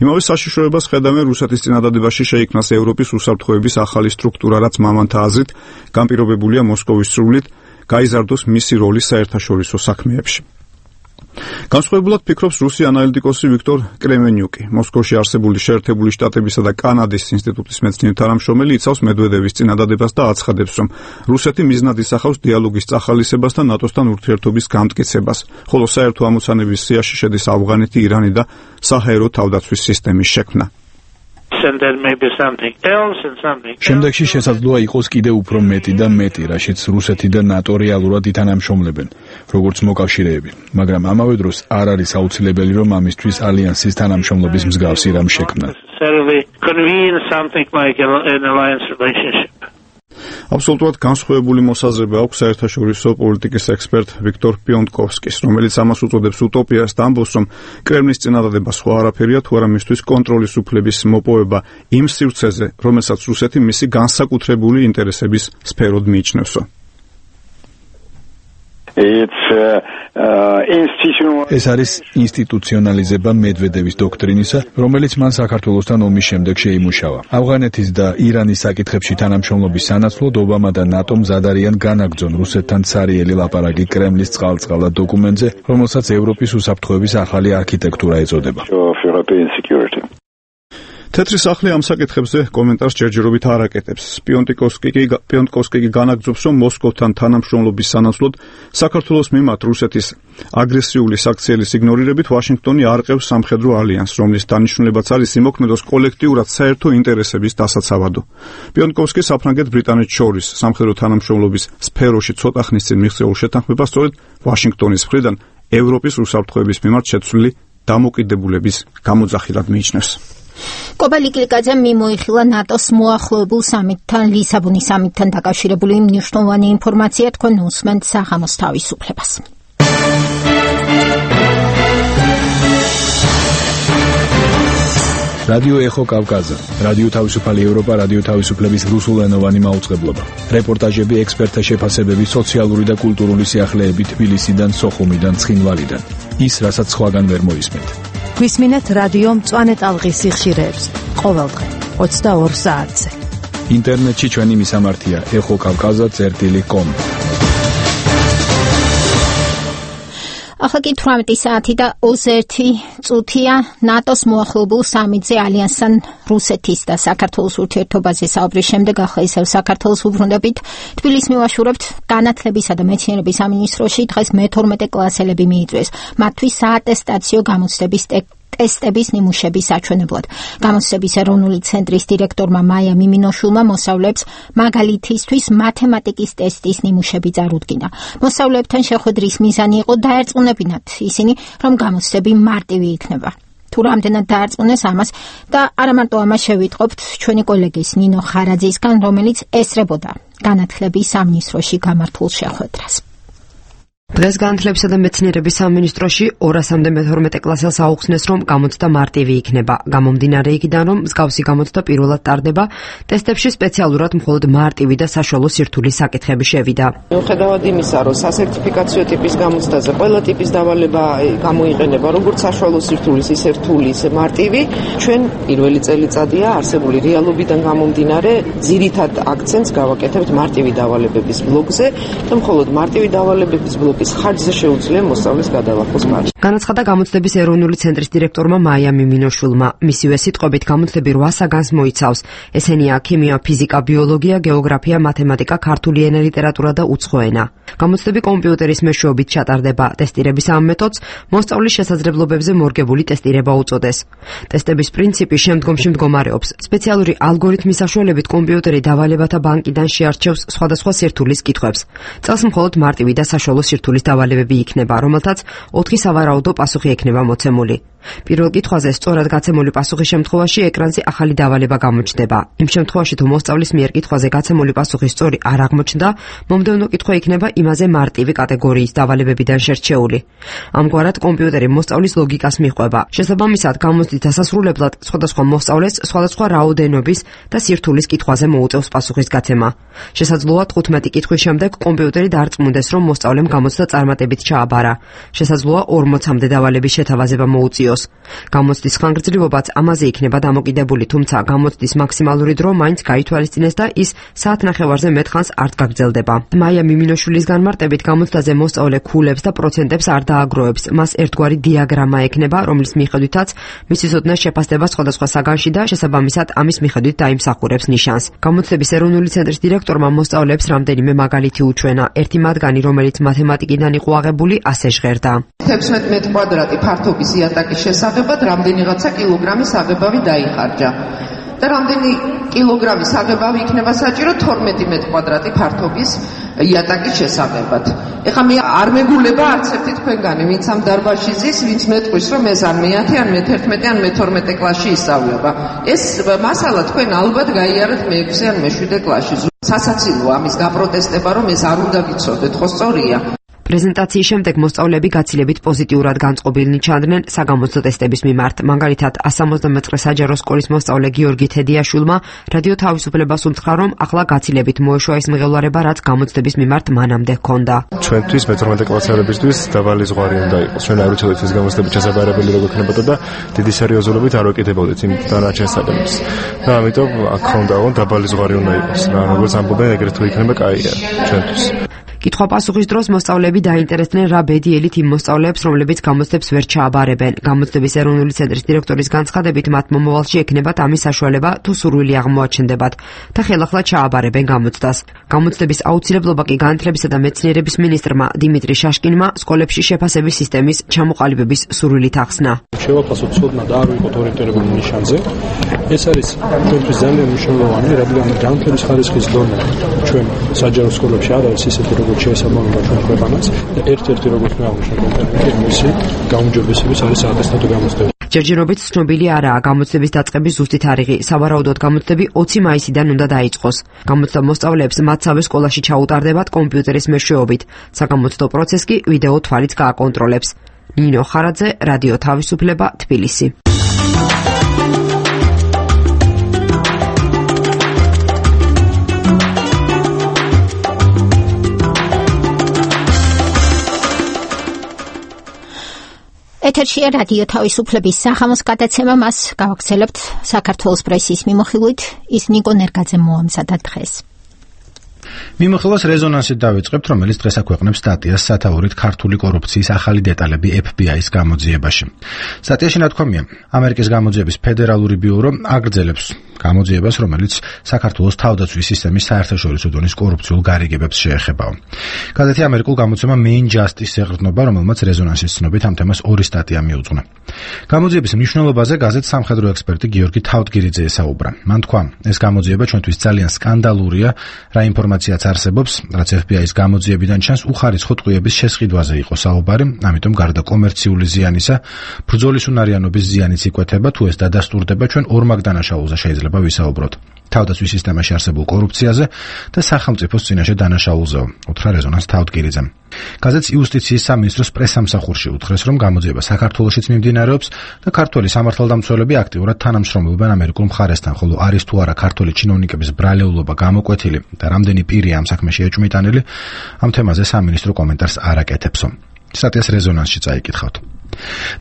იმავე საშიშროებას ხედავენ რუსეთის წინადადებაში შეიქმნას ევროპის უსაფრთხოების ახალი სტრუქტურა, რაც მამანთა აზრით განპირობებულია მოსკოვის სრულით გაიზარდოს მისი როლი საერთაშორისო საქმეებში. განსხვავებულად ფიქრობს რუსი ანალიტიკოსი ვიქტორ კრემენიუკი. მოსკოვში არსებული შეერთებული შტატებისა და კანადის ინსტიტუტის მეცნიერ თანამშრომელი იცავს მედვედევის წინადადებას და აცხადებს, რომ რუსეთი მიზნად ისახავს დიალოგის წახალისებას და ნატოსთან ურთიერთობის გამტკიცებას, ხოლო საერთო ამოცანების სიაში შედის ავღანეთი, ირანი და საჰაერო თავდაცვის სისტემის შექმნა. and then maybe something else and something. შემდეგში შესაძლოა იყოს კიდევ უფრო მეტი და მეტი, რაშიც რუსეთი და ნატო რეალურად ითანამშრომლებენ, როგორც მოკავშირეები. მაგრამ ამავე დროს არ არის აუცილებელი, რომ ამისთვის ალიანსის თანამშრომლობის მსგავსი რამ შექმნა. Convene something like an alliance relationship. აბსოლუტურად განსხვავებული მოსაზრება აქვს საერთაშორისო პოლიტიკის ექსპერტ ვიქტორ პიონტკოვსკის, რომელიც ამას უწოდებს უტოპიას და ამბობს, რომ კრემლის წინადადება სხვა არაფერია, თუ არა მისთვის კონტროლის უფლების მოპოვება იმ სივრცეზე, რომელსაც რუსეთი მისი განსაკუთრებული ინტერესების სფეროდ მიიჩნევსო. ეს არის ინსტიტუციონალიზება მედვედევის დოქტრინისა, რომელიც მან საქართველოსთან ომის შემდეგ შეიმუშავა. ავღანეთის და ირანის საკითხებში თანამშრომლობის სანაცვლოდ ობამა და ნატო მზად არიან განაგრძონ რუსეთთან ცარიელი ლაპარაკი კრემლის წყალწყალად დოკუმენტზე, რომელსაც ევროპის უსაფრთხოების ახალი არქიტექტურა ეწოდება. თეთრი სახლი ამ საკითხებზე კომენტარს ჯერჯერობით არ აკეთებს. პიონტკოვსკი კი პიონტკოვსკი კი განაგრძობს, რომ მოსკოვთან თანამშრომლობის სანაცვლოდ საქართველოს მიმართ რუსეთის აგრესიული საქციელის იგნორირებით ვაშინგტონი არყევს სამხედრო ალიანსს, რომლის დანიშნულებაც არის იმოქმედოს კოლექტიურად საერთო ინტერესების დასაცავადო. პიონტკოვსკი საფრანგეთ ბრიტანეთს შორის სამხედრო თანამშრომლობის სფეროში ცოტა ხნის წინ მიღწეულ შეთანხმებას სწორედ ვაშინგტონის მხრიდან ევროპის უსაფრთხოების მიმართ შეცვლილი დამოკიდებულების გამოძახილად მიიჩნევს. კობალი კლიკაძე მიმოიხილა ნატოს მოახლოებულ სამიტთან, ლისაბონის სამიტთან დაკავშირებული მნიშვნელოვანი ინფორმაცია, თქვენ უსმენთ საღამოს თავისუფლებას. რადიო ეხო კავკაზა, რადიო თავისუფალი ევროპა, რადიო თავისუფლების რუსულენოვანი მაუწყებლობა. რეპორტაჟები, ექსპერტთა შეფასებები, სოციალური და კულტურული სიახლეები თბილისიდან, სოხუმიდან, ცხინვალიდან. ის, რასაც სხვაგან ვერ მოისმენთ. გვისმინეთ რადიო მწვანე ტალღის სიხშირეებს ყოველდღე ოცდაორ საათზე. ინტერნეტში ჩვენი მისამართია ეხო კავკაზა წერტილი კომ. ახლა კი თვრამეტი საათი და ოცდაერთი წუთია. ნატოს მოახლოებულ სამიტზე ალიანსთან რუსეთის და საქართველოს ურთიერთობაზე საუბრის შემდეგ ახლა ისევ საქართველოს უბრუნდებით. თბილისს მივაშურებთ. განათლებისა და მეცნიერების სამინისტროში დღეს მეთორმეტე კლასელები მიიწვიეს. მათთვის საატესტაციო გამოცდების ტესტების ნიმუშების საჩვენებლად. გამოცდების ეროვნული ცენტრის დირექტორმა მაია მიმინოშულმა მოსწავლეებს მაგალითისთვის მათემატიკის ტესტის ნიმუშები წარუდგინა. მოსწავლეებთან შეხვედრის მიზანი იყო დაერწმუნებინათ ისინი, რომ გამოცდები მარტივი იქნება. თუ რამდენად დაარწმუნეს ამას და არა მარტო ამას შევიტყობთ ჩვენი კოლეგის ნინო ხარაძისგან, რომელიც ესწრებოდა განათლების სამინისტროში გამართულ შეხვედრას. დღეს განათლებისა და მეცნიერების სამინისტროში ორასამდე მეთორმეტე კლასელს აუხსნეს, რომ გამოცდა მარტივი იქნება. გამომდინარე იქიდან, რომ მსგავსი გამოცდა პირველად ტარდება, ტესტებში სპეციალურად მხოლოდ მარტივი და საშუალო სირთულის საკითხები შევიდა. მიუხედავად იმისა, რომ სასერტიფიკაციო ტიპის გამოცდაზე ყველა ტიპის დავალება გამოიყენება, როგორც საშუალო სირთულის, ისე რთული, ისე მარტივი, ჩვენ პირველი წელიწადია არსებული რეალობიდან გამომდინარე, ძირითად აქცენტს გავაკეთებთ მარტივი დავალებების ბლოკზე და მხოლოდ მარტივი დავალებების ბლოკ ხარჯზე შეუძლია მოსწავლის გადალახოს მარჯვ. განაცხადა გამოცდების ეროვნული ცენტრის დირექტორმა მაია მიმინოშულმა. მისივე სიტყვებით გამოცდები რვა საგანს მოიცავს. ესენია ქიმია, ფიზიკა, ბიოლოგია, გეოგრაფია, მათემატიკა, ქართული ენა, ლიტერატურა და უცხო ენა. გამოცდები კომპიუტერის მეშვეობით ჩატარდება. ტესტირების ამ მეთოდს მოსწავლის შესაძლებლობებზე მორგებული ტესტირება უწოდეს. ტესტების პრინციპი შემდგომში მდგომარეობს. სპეციალური ალგორითმის საშუალებით კომპიუტერი დავალებათა ბანკიდან შეარჩევს სხვადასხვა სირთულის კითხვებს. წელს მხოლოდ მარტივი და საშუალო სირთულის დავალებები იქნება, რომელთაც ოთხი სავარაუდო პასუხი ექნება მოცემული. პირველ კითხვაზე სწორად გაცემული პასუხის შემთხვევაში ეკრანზე ახალი დავალება გამოჩნდება. იმ შემთხვევაში, თუ მოსწავლის მიერ კითხვაზე გაცემული პასუხი სწორი არ აღმოჩნდა, მომდევნო კითხვა იქნება იმაზე მარტივი კატეგორიის დავალებებიდან შერჩეული. ამგვარად, კომპიუტერი მოსწავლის ლოგიკას მიჰყვება. შესაბამისად, გამოცდის დასასრულებლად სხვადასხვა მოსწავლეს სხვადასხვა რაოდენობის და სირთულის კითხვაზე მოუწევს პასუხის გაცემა. შესაძლოა თხუთმეტი კითხვის შემდეგ კომპიუტერი დარწმუნდეს, რომ მოსწავლემ გამოცდა წარმატებით ჩააბარა. შესაძლოა ორმოცამდე დავალების შეთავაზება მოუწიოს. გამოცდის ხანგრძლივობაც ამაზე იქნება დამოკიდებული, თუმცა გამოცდის მაქსიმალური დრო მაინც გაითვალისწინეს და ის საათნახევარზე მეტხანს არ გაგრძელდება. მაია მიმინოშვილის განმარტებით გამოცდაზე მოსწავლე ქულებს და პროცენტებს არ დააგროვებს. მას ერთგვარი დიაგრამა ექნება, რომლის მიხედვითაც მისი ცოდნა შეფასდება სხვადასხვა საგანში და შესაბამისად ამის მიხედვით დაიმსახურებს ნიშანს. გამოცდების ეროვნული ცენტრის დირექტორმა მოსწავლეებს რამდენიმე მაგალითი უჩვენა. ერთი მათგანი, რომელიც მათემატიკიდან იყო აღებული, ასე ჟღერდა. თექვსმეტ მეტრ კვადრატი ფართობის იატაკის შესაღებად რამდენიღაცა კილოგრამის აღებავი დაიხარჯა. და რამდენი კილოგრამის აღებავი იქნება საჭირო თორმეტი მეტრი კვადრატი ფართობის იატაკის შესაღებად. ეხლა მე არ მეგულება არც ერთი თქვენგანი, ვინც ამ დარბაზში ზის, ვინც მეტყვის, რომ ეს ან მეათე, ან მეთერთმეტე, ან მეთორმეტე კლასში ისწავლება. ეს მასალა თქვენ ალბათ გაიარეთ მეექვსე ან მეშვიდე კლასში. სასაცილოა ამის გაპროტესტება, რომ ეს არ უნდა ვიცოდეთ, ხო სწორია? პრეზენტაციის შემდეგ მოსწავლეები გაცილებით პოზიტიურად განწყობილნი ჩანდნენ საგამოცდო ტესტების მიმართ. მაგალითად, one seventy-nine საჯარო სკოლის მოსწავლე გიორგი თედიაშვილმა რადიო თავისუფლებას უთხრა, რომ ახლა გაცილებით მოეშვა ის მღელვარება, რაც გამოცდების მიმართ მანამდე ჰქონდა. ჩვენთვის მეთორმეტე კლასელებისთვის დაბალი ზღვარი უნდა იყოს. ჩვენ არ ვიცოდით ეს გამოცდები ჩასაბარებელი როგორ იქნებოდა და დიდი სერიოზულობით არ ვაკეთებოდით იმ დანარჩენ საგანებს. და ამიტომ აქ ხონდა რომ დაბალი ზღვარი უნდა იყოს. რა როგორც ამბობენ, ეგრეთ თუ იქნება კაია ჩვენთვის. კითხვა-პასუხის დროს მოსწავლეები დაინტერესდნენ რა ბედიელით იმ მოსწავლეებს, რომლებიც გამოცდებს ვერ ჩააბარებენ. გამოცდების ეროვნული ცენტრის დირექტორის განცხადებით, მათ მომავალში ექნებათ ამის საშუალება, თუ სურვილი აღმოაჩნდებათ და ხელახლა ჩააბარებენ გამოცდას. გამოცდების აუცილებლობა კი განათლებისა და მეცნიერების მინისტრმა დიმიტრი შაშკინმა სკოლებში შეფასების სისტემის ჩამოყალიბების სურვილით ახსნა. შევაფასოთ ცოდნა და არ ვიყოთ ორიენტირებული ნიშანზე. ეს არის ჩვენთვის ძალიან მნიშვნელოვანი, რადგან განათლების ხარისხის დონე ჩვენ საჯარო სკოლებში არ არის ისეთი, როგორც შეესაბამება ჩვენ ქვეყანას. ერთ-ერთი როგორც მე აღნიშნე კომპონენტი მისი გაუმჯობესების არის ატესტატო გამოცდები. ჯერჯერობით ცნობილი არაა გამოცდების დაწყების ზუსტი თარიღი. სავარაუდოდ გამოცდები ოცი მაისიდან უნდა დაიწყოს. გამოცდა მოსწავლეებს მათსავე სკოლაში ჩაუტარდებათ კომპიუტერის მეშვეობით. საგამოცდო პროცესს კი ვიდეო თვალიც გააკონტროლებს. ნინო ხარაძე, რადიო თავისუფლება, თბილისი. ეთერშია რადიო თავისუფლების სახამოს გადაცემა, მას გავაგრძელებთ საქართველოს პრესის მიმოხილვით. ის ნიკო ნერგაძემ მოამზადა დღეს. მიმოხილვას რეზონანსით დავიწყებთ, რომელიც დღეს აქვეყნებს სტატიას სათაურით ქართული კორუფციის ახალი დეტალები ეფ ბი აის გამოძიებაში. სტატიაში ნათქვამია, ამერიკის გამოძიების ფედერალური ბიურო აგრძელებს გამოძიებას, რომელიც საქართველოს თავდაცვის სისტემის საერთაშორისო დონის კორუფციულ გარიგებებს შეეხებაო. გაზეთი ამერიკულ გამოცემა Main Justice ეყრდნობა, რომელმაც რეზონანსის ცნობით ამ თემას ორი სტატია მიუძღვნა. გამოძიების მნიშვნელობაზე გაზეთს სამხედრო ექსპერტი გიორგი თავდგირიძე ესაუბრა. მან თქვა, ეს გამოძიება ჩვენთვის ძალიან სკანდალურია, რა ინფორმაციაც არსებობს, რაც ეფ ბი აის გამოძიებიდან ჩანს, უხარისხო ტყვიების შესყიდვაზე იყო საუბარი, ამიტომ გარდა კომერციული ზიანისა, ბრძოლის უნარიანობის ზიანიც იკვეთება, თუ ეს დადასტურდება, ჩვენ ორმაგ დანაშაულზე შეიძლება ვისაუბროთ. თავდაცვის სისტემაში არსებულ კორუფციაზე და სახელმწიფოს წინაშე დანაშაულზეო, უთხრა რეზონანს თავდგირიძემ. გაზეთს იუსტიციის სამინისტროს პრესსამსახურში უთხრეს, რომ გამოძიება საქართველოშიც მიმდინარეობს და ქართველი სამართალდამცველები აქტიურად თანამშრომლობენ ამერიკულ მხარესთან, ხოლო არის თუ არა ქართველი ჩინოვნიკების ბრალეულობა გამოკვეთილი და რამდენი პირია ამ საქმეში ეჭვმიტანილი, ამ თემაზე სამინისტრო კომენტარს არ აკეთებსო. სტატიას რეზონანსში წაიკითხავთ.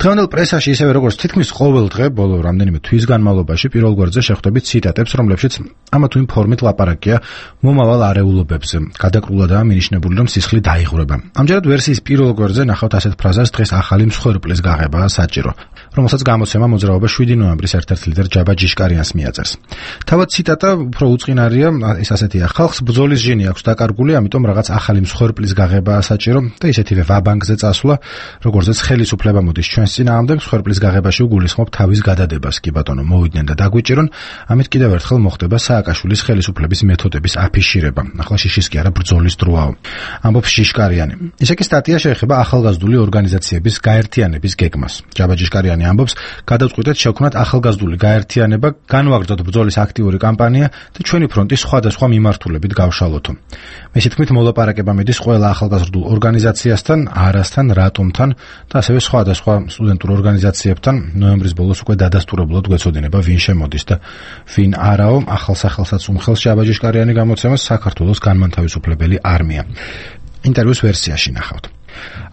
დღევანდელ პრესაში ისევე როგორც თითქმის ყოველ დღე ბოლო რამდენიმე თვის განმავლობაში პირველ გვერდზე შეხვდებით ციტატებს, რომლებშიც ამა თუ იმ ფორმით ლაპარაკია მომავალ არეულობებზე. გადაკრულადაა მინიშნებული, რომ სისხლი დაიღვრება. ამჯერად ვერსიის პირველ გვერდზე ნახავთ ასეთ ფრაზას: დღეს ახალი მსხვერპლის გაღებაა საჭირო, რომელსაც გამოცემა მოძრაობა შვიდი ნოემბრის ერთ-ერთ ლიდერ ჯაბა ჯიშკარიანს მიაწერს. თავად ციტატა უფრო უწყინარია, ეს ასეთია: ხალხს ბრძოლის ჟინი აქვს დაკარგული, ამიტომ რაღაც ახალი მსხვერპლის გაღებაა საჭირო და ისეთივე ვაბანკზე წასვლა, როგორზეც ხელისუფლება მოდის ჩვენს წინააღმდეგ, მსხვერპლის გაღებაში უგულისხმობ თავის გადადებას. კი ბატონო, მოვიდნენ და დაგვიჭირონ, ამით კიდევ ერთხელ მოხდება სააკაშვილის ხელისუფლების მეთოდების აფიშირება. ახლა შიშის კი არა, ბრძოლის დროაო. ამბობს ჯიშკარიანი. ისე კი სტატია შეეხება ახალგაზრდული ორგანიზაციების გაერთიანების გეგმას. ჯაბა ჯიშკარიანი ამბობს, გადავწყვიტეთ შევქმნათ ახალგაზრდული გაერთიანება, განვაგრძოთ ბრძოლის აქტიური კამპანია და ჩვენი ფრონტი სხვადასხვა მიმართულებით გავშალოთო. მესით თქმით, მოლაპარაკება მიდის ყველა ახალგაზრდულ ორგანიზაციასთან, არასთან, რატომთან და ასევე სხვადასხვა სტუდენტურ ორგანიზაციებთან. ნოემბრის ბოლოს უკვე დადასტურებულად გვეცოდინება ვინ შემოდის და ვინ არაო. ახალ სახელსაც უმხელს ჯაბა ჯიშკარიანი გამოცემას საქართველოს განმანთავისუფლებელი არმია. ინტერვიუს ვერსიაში ნახავთ.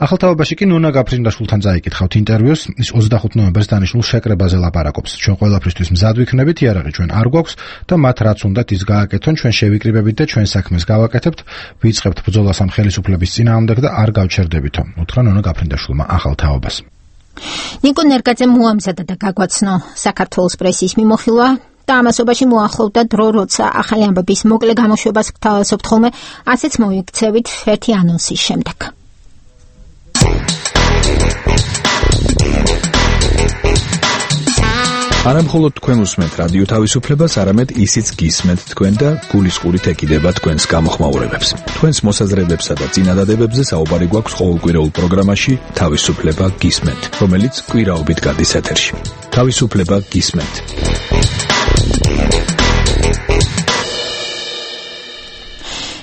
ახალ თაობაში კი ნონა გაფრინდაშვილთან წაიკითხავთ ინტერვიუს. ის ოცდახუთ ნოემბერს დანიშნულ შეკრებაზე ლაპარაკობს. ჩვენ ყველაფრისთვის მზად ვიქნებით, იარაღი ჩვენ არ გვაქვს და მათ რაც უნდათ ის გააკეთონ, ჩვენ შევიკრიბებით და ჩვენ საქმეს გავაკეთებთ, ვიწყებთ ბრძოლას ამ ხელისუფლების წინააღმდეგ და არ გავჩერდებითო, უთხრა ნონა გაფრინდაშვილმა ახალ თაობას. ნიკო ნერგაძემ მოამზადა და გაგვაცნო საქართველოს პრესის მიმოხილვა და ამასობაში მოახლოვდა დრო, როცა ახალი ამბების მოკლე გამოშვებას გთავაზობთ ხოლმე, ასეც მოიქცევით ერთი ანონსის შემდეგ. არა მხოლოდ თქვენ უსმენთ რადიო თავისუფლებას, არამედ ისიც გისმენთ თქვენ და გულისყურით ეკიდება თქვენს გამოხმაურებებს. თქვენს მოსაზრებებსა და წინადადებებზე საუბარი გვაქვს ყოველკვირეულ პროგრამაში თავისუფლება გისმენთ, რომელიც კვირაობით გადის ეთერში. თავისუფლება გისმენთ.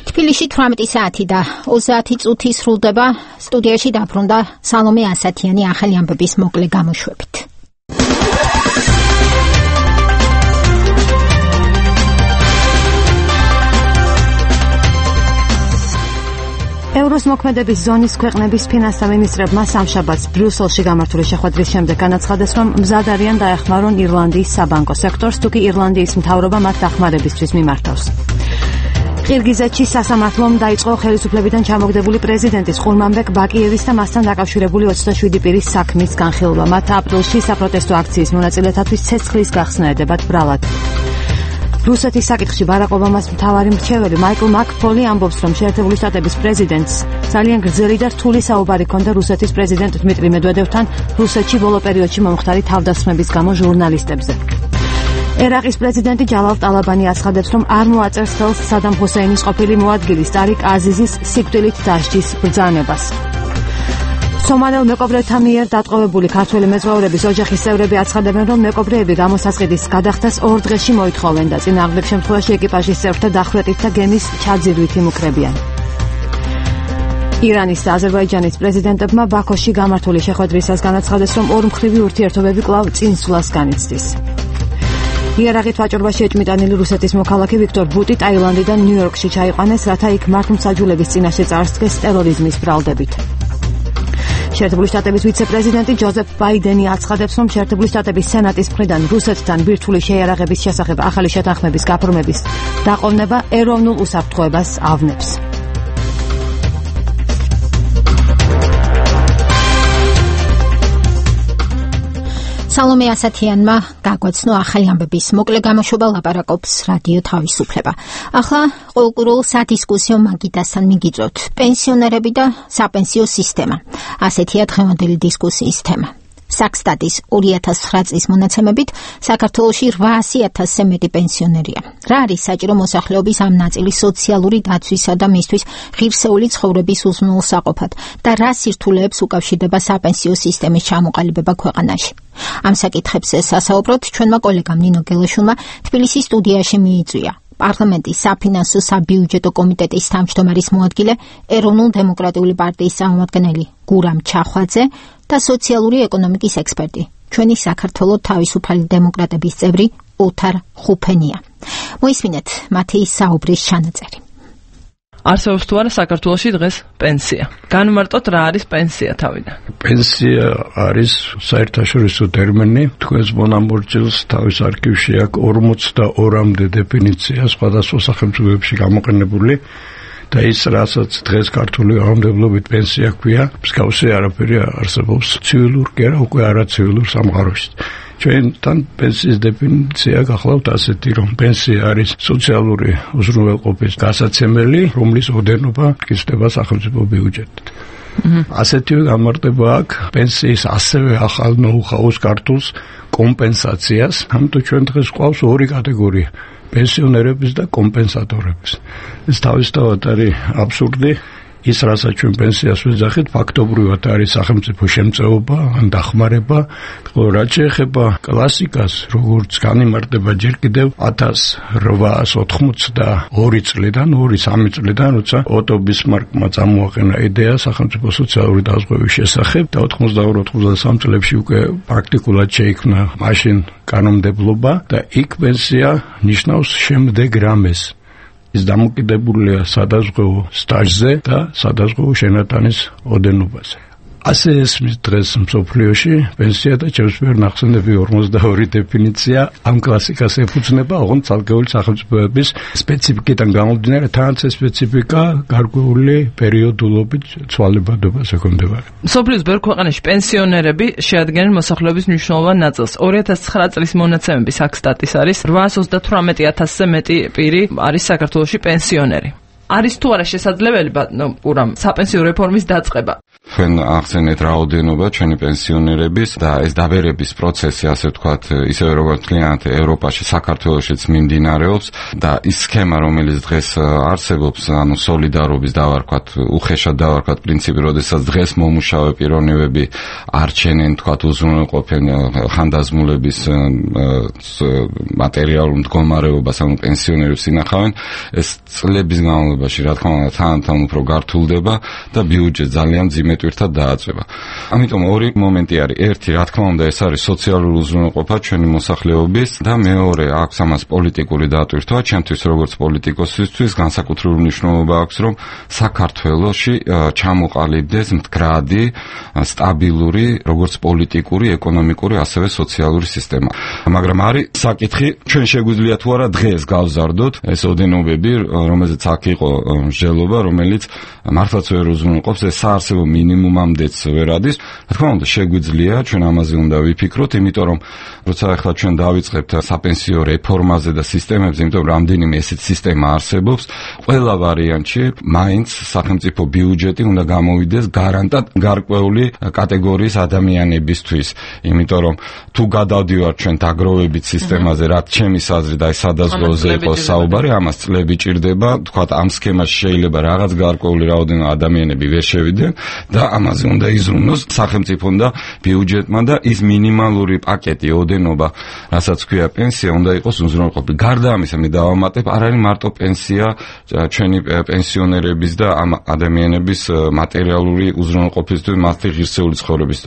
თბილისში თვრამეტი საათი და ოცდაათი წუთი სრულდება. სტუდიაში დაბრუნდა სალომე ასათიანი ახალი ამბების მოკლე გამოშვებით. ევროს მოქმედების ზონის ქვეყნების ფინანსთა მინისტრებმა სამშაბათს ბრიუსელში გამართული შეხვედრის შემდეგ განაცხადეს, რომ მზად არიან დაეხმარონ ირლანდიის საბანკო სექტორს, თუკი ირლანდიის მთავრობა მათ დახმარებისთვის მიმართავს. ყირგიზეთში სასამართლომ დაიწყო ხელისუფლებიდან ჩამოგდებული პრეზიდენტის ყურმანბეკ ბაკიევის და მასთან დაკავშირებული ოცდაშვიდი პირის საქმის განხილვა. მათ აპრილში საპროტესტო აქციის მონაწილეთათვის ცეცხლის გახსნა ედებათ ბრალად. რუსეთის საკითხში ბარაკ ობამას მთავარი მრჩეველი მაიკლ მაკფოლი ამბობს, რომ შეერთებული შტატების პრეზიდენტს ძალიან გრძელი და რთული საუბარი ჰქონდა რუსეთის პრეზიდენტ დმიტრი მედვედევთან რუსეთში ბოლო პერიოდში მომხდარი თავდასხმების გამო ჟურნალისტებზე. ერაყის პრეზიდენტი ჯალალ ტალაბანი აცხადებს, რომ არ მოაწერს ხელს სადამ ჰუსეინის ყოფილი მოადგილის ტარიკ აზიზის სიკვდილით დასჯის ბრძანებას. სომალელ მეკობრეთა მიერ დატყვევებული ქართველი მეზღვაურების ოჯახის წევრები აცხადებენ, რომ მეკობრეები გამოსასყიდის გადახდას ორ დღეში მოითხოვენ და წინააღმდეგ შემთხვევაში ეკიპაჟის წევრთა დახვრეტით და გემის ჩაძირვით იმუქრებიან. ირანის და აზერბაიჯანის პრეზიდენტებმა ბაქოში გამართული შეხვედრისას განაცხადეს, რომ ორმხრივი ურთიერთობები კვლავ წინსვლას განიცდის. იარაღით ვაჭრობაში ეჭმიტანილი რუსეთის მოქალაქე ვიქტორ ბუტი ტაილანდიდან ნიუ-იორკში ჩაიყვანეს, რათა იქ მართლმსაჯულების წინაშე წარსდგეს ტერორიზმის ბრალდებით. შეერთებული შტატების ვიცე-პრეზიდენტი ჯოზეფ ბაიდენი აცხადებს, რომ შეერთებული შტატების სენატის მხრიდან რუსეთთან ბირთვული შეიარაღების შესახებ ახალი შეთანხმების გაფორმების დაყოვნება ეროვნულ უსაფრთხოებას ავნებს. სალომე ასათიანმა გაგვაცნო ახალი ამბების მოკლე გამოშვება, ლაპარაკობს რადიო თავისუფლება. ახლა ყოველკვირეულ სადისკუსიო მაგიდასთან მიგიწვევთ პენსიონერები და საპენსიო სისტემა. ასეთია დღევანდელი დისკუსიის თემა. საქსტატის ორი ათას ცხრა წლის მონაცემებით საქართველოში რვაასი ათასზე მეტი პენსიონერია. რა არის საჭირო მოსახლეობის ამ ნაწილის სოციალური დაცვისა და მისთვის ღირსეული ცხოვრების უზრუნველსაყოფად და რა სირთულეებს უკავშირდება საპენსიო სისტემის ჩამოყალიბება ქვეყანაში? ამ საკითხებზე სასაუბროდ ჩვენმა კოლეგამ ნინო გელაშვილმა თბილისის სტუდიაში მიიწვია პარლამენტის საფინანსო საბიუჯეტო კომიტეტის თავმჯდომარის მოადგილე, ეროვნულ-დემოკრატიული პარტიის წარმომადგენელი გურამ ჩახვაძე და სოციალური ეკონომიკის ექსპერტი, ჩვენი საქართველოს თავისუფალი დემოკრატების წევრი ოთარ ხუფენია. მოისმინეთ მათი საუბრის ჩანაწერი. არსებობს თუ არა საქართველოში დღეს პენსია? განმარტოთ რა არის პენსია თავიდან. პენსია არის საერთაშორისო ტერმინი, თქვენს მონამორჩილს თავის არქივში აქვს ორმოცდაორამდე დეფინიცია სხვადასხვა სახელმწიფოებში გამოყენებული და ის რასაც დღეს ქართული კანონმდებლობით პენსია ქვია, მსგავსი არაფერი არსებობს ცივილურ კი არა უკვე არაცივილურ სამყაროში. ჩვენთან პენსიის დეფინიცია გახლავთ ასეთი, რომ პენსია არის სოციალური უზრუნველყოფის გასაცემელი, რომლის ოდენობა გიზრდება სახელმწიფო ბიუჯეტით. ასეთივე განმარტება აქვს პენსიის ასევე ახალ ნოუ-ჰაუს ქართულს კომპენსაციას, ამიტომ ჩვენ დღეს გვყავს ორი კატეგორია: პენსიონერების და კომპენსატორების. ეს თავისთავად არის აბსურდი. ის რასაც ჩვენ პენსიას ვეძახით, ფაქტობრივად არის სახელმწიფო შემწეობა ან დახმარება, ხოლო რაც შეეხება კლასიკას, როგორც განიმარტება ჯერ კიდევ ათას რვაასი ოთხმოცდაორი წლიდან, ორი სამი წლიდან, როცა ოტო ბისმარკმა წამოაყენა იდეა სახელმწიფო სოციალური დაზღვევის შესახებ და ოთხმოცდაორი ოცდასამი წლებში უკვე პრაქტიკულად შეიქმნა მაშინ კანონმდებლობა და იქ პენსია ნიშნავს შემდეგ რამეს. ის დამოკიდებულია სადაზღვევო სტაჟზე და სადაზღვევო შენატანის ოდენობაზე. ასე ესმის დღეს მსოფლიოში პენსია და ჩემს მიერ ნახსენები ორმოცდაორი დეფინიცია ამ კლასიკას ეფუძნება, ოღონდ ცალკეული სახელმწიფოების სპეციფიკიდან გამომდინარე, თანაც ეს სპეციფიკა გარკვეული პერიოდულობით ცვალებადობას ექვემდებარება. მსოფლიოს ბევრ ქვეყანაში პენსიონერები შეადგენენ მოსახლეობის მნიშვნელოვან ნაწილს. ორი ათას ცხრა წლის მონაცემები საქსტატის არის რვაასი ოცდათვრამეტი ათასზე მეტი პირი არის საქართველოში პენსიონერი. არის თუ არა შესაძლებელი, ბატონო გურამ, საპენსიო რეფორმის დაწყება? თქვენ ახსენეთ რაოდენობა ჩვენი პენსიონერების და ეს დაბერების პროცესი, ასე ვთქვათ, ისევე როგორც მთლიანად ევროპაში, საქართველოშიც მიმდინარეობს და ის სქემა, რომელიც დღეს არსებობს, ანუ სოლიდარობის დავარქვათ, უხეშად დავარქვათ პრინციპი, როდესაც დღეს მომუშავე პიროვნებები არჩენენ, თქვათ, უზრუნველყოფენ ხანდაზმულების მატერიალურ მდგომარეობას, ანუ პენსიონერებს ინახავენ, ეს წლების განმავლობაში, რა თქმა უნდა, თან-თან უფრო გართულდება და ბიუჯეტი ძალიან მძიმე თვირთად დააწება. ამიტომ ორი მომენტი არის. ერთი, რა თქმა უნდა, ეს არის სოციალური უზრუნველყოფა ჩვენი მოსახლეობის და მეორე, აქვს ამას პოლიტიკური დატვირთვა. ჩემთვის როგორც პოლიტიკოსისთვის განსაკუთრებული მნიშვნელობა აქვს, რომ საქართველოში ჩამოყალიბდეს მდგრადი, სტაბილური, როგორც პოლიტიკური, ეკონომიკური, ასევე სოციალური სისტემა. მაგრამ არის საკითხი, ჩვენ შეგვიძლია თუ არა დღეს გავზარდოთ ეს ოდენობები, რომელზეც აქ იყო მსჯელობა, რომელიც მართლაც ვერ უზრუნველყოფს, ეს საარსებო მინიმუმამდეც ვერ ადის. რა თქმა უნდა, შეგვიძლია, ჩვენ ამაზე უნდა ვიფიქროთ, იმიტომ რომ როცა ახლა ჩვენ დავიწყებთ საპენსიო რეფორმაზე და სისტემებზე, იმიტომ რომ რამდენიმე ესეთ სისტემა არსებობს, ყველა ვარიანტში მაინც სახელმწიფო ბიუჯეტი უნდა გამოვიდეს გარანტად გარკვეული კატეგორიის ადამიანებისთვის, იმიტომ რომ თუ გადავდივართ ჩვენ დაგროვებით სისტემაზე, რაც ჩემი აზრით აი სადაზღვეოზე იყო საუბარი, ამას წლები ჭირდება, თქვათ ამ სქემაში შეიძლება რაღაც გარკვეული რაოდენობა ადამიანები ვერ შევიდნენ და ამაზე უნდა იზრუნოს სახელმწიფომ და ბიუჯეტმა და ის მინიმალური პაკეტი, ოდენობა, რასაც ქვია პენსია, უნდა იყოს უზრუნველყოფილი. გარდა ამისა, მე დავამატებ, არ არის მარტო პენსია ჩვენი პენსიონერების და ამ ადამიანების მატერიალური უზრუნველყოფისთვის, მათი ღირსეული ცხოვრების.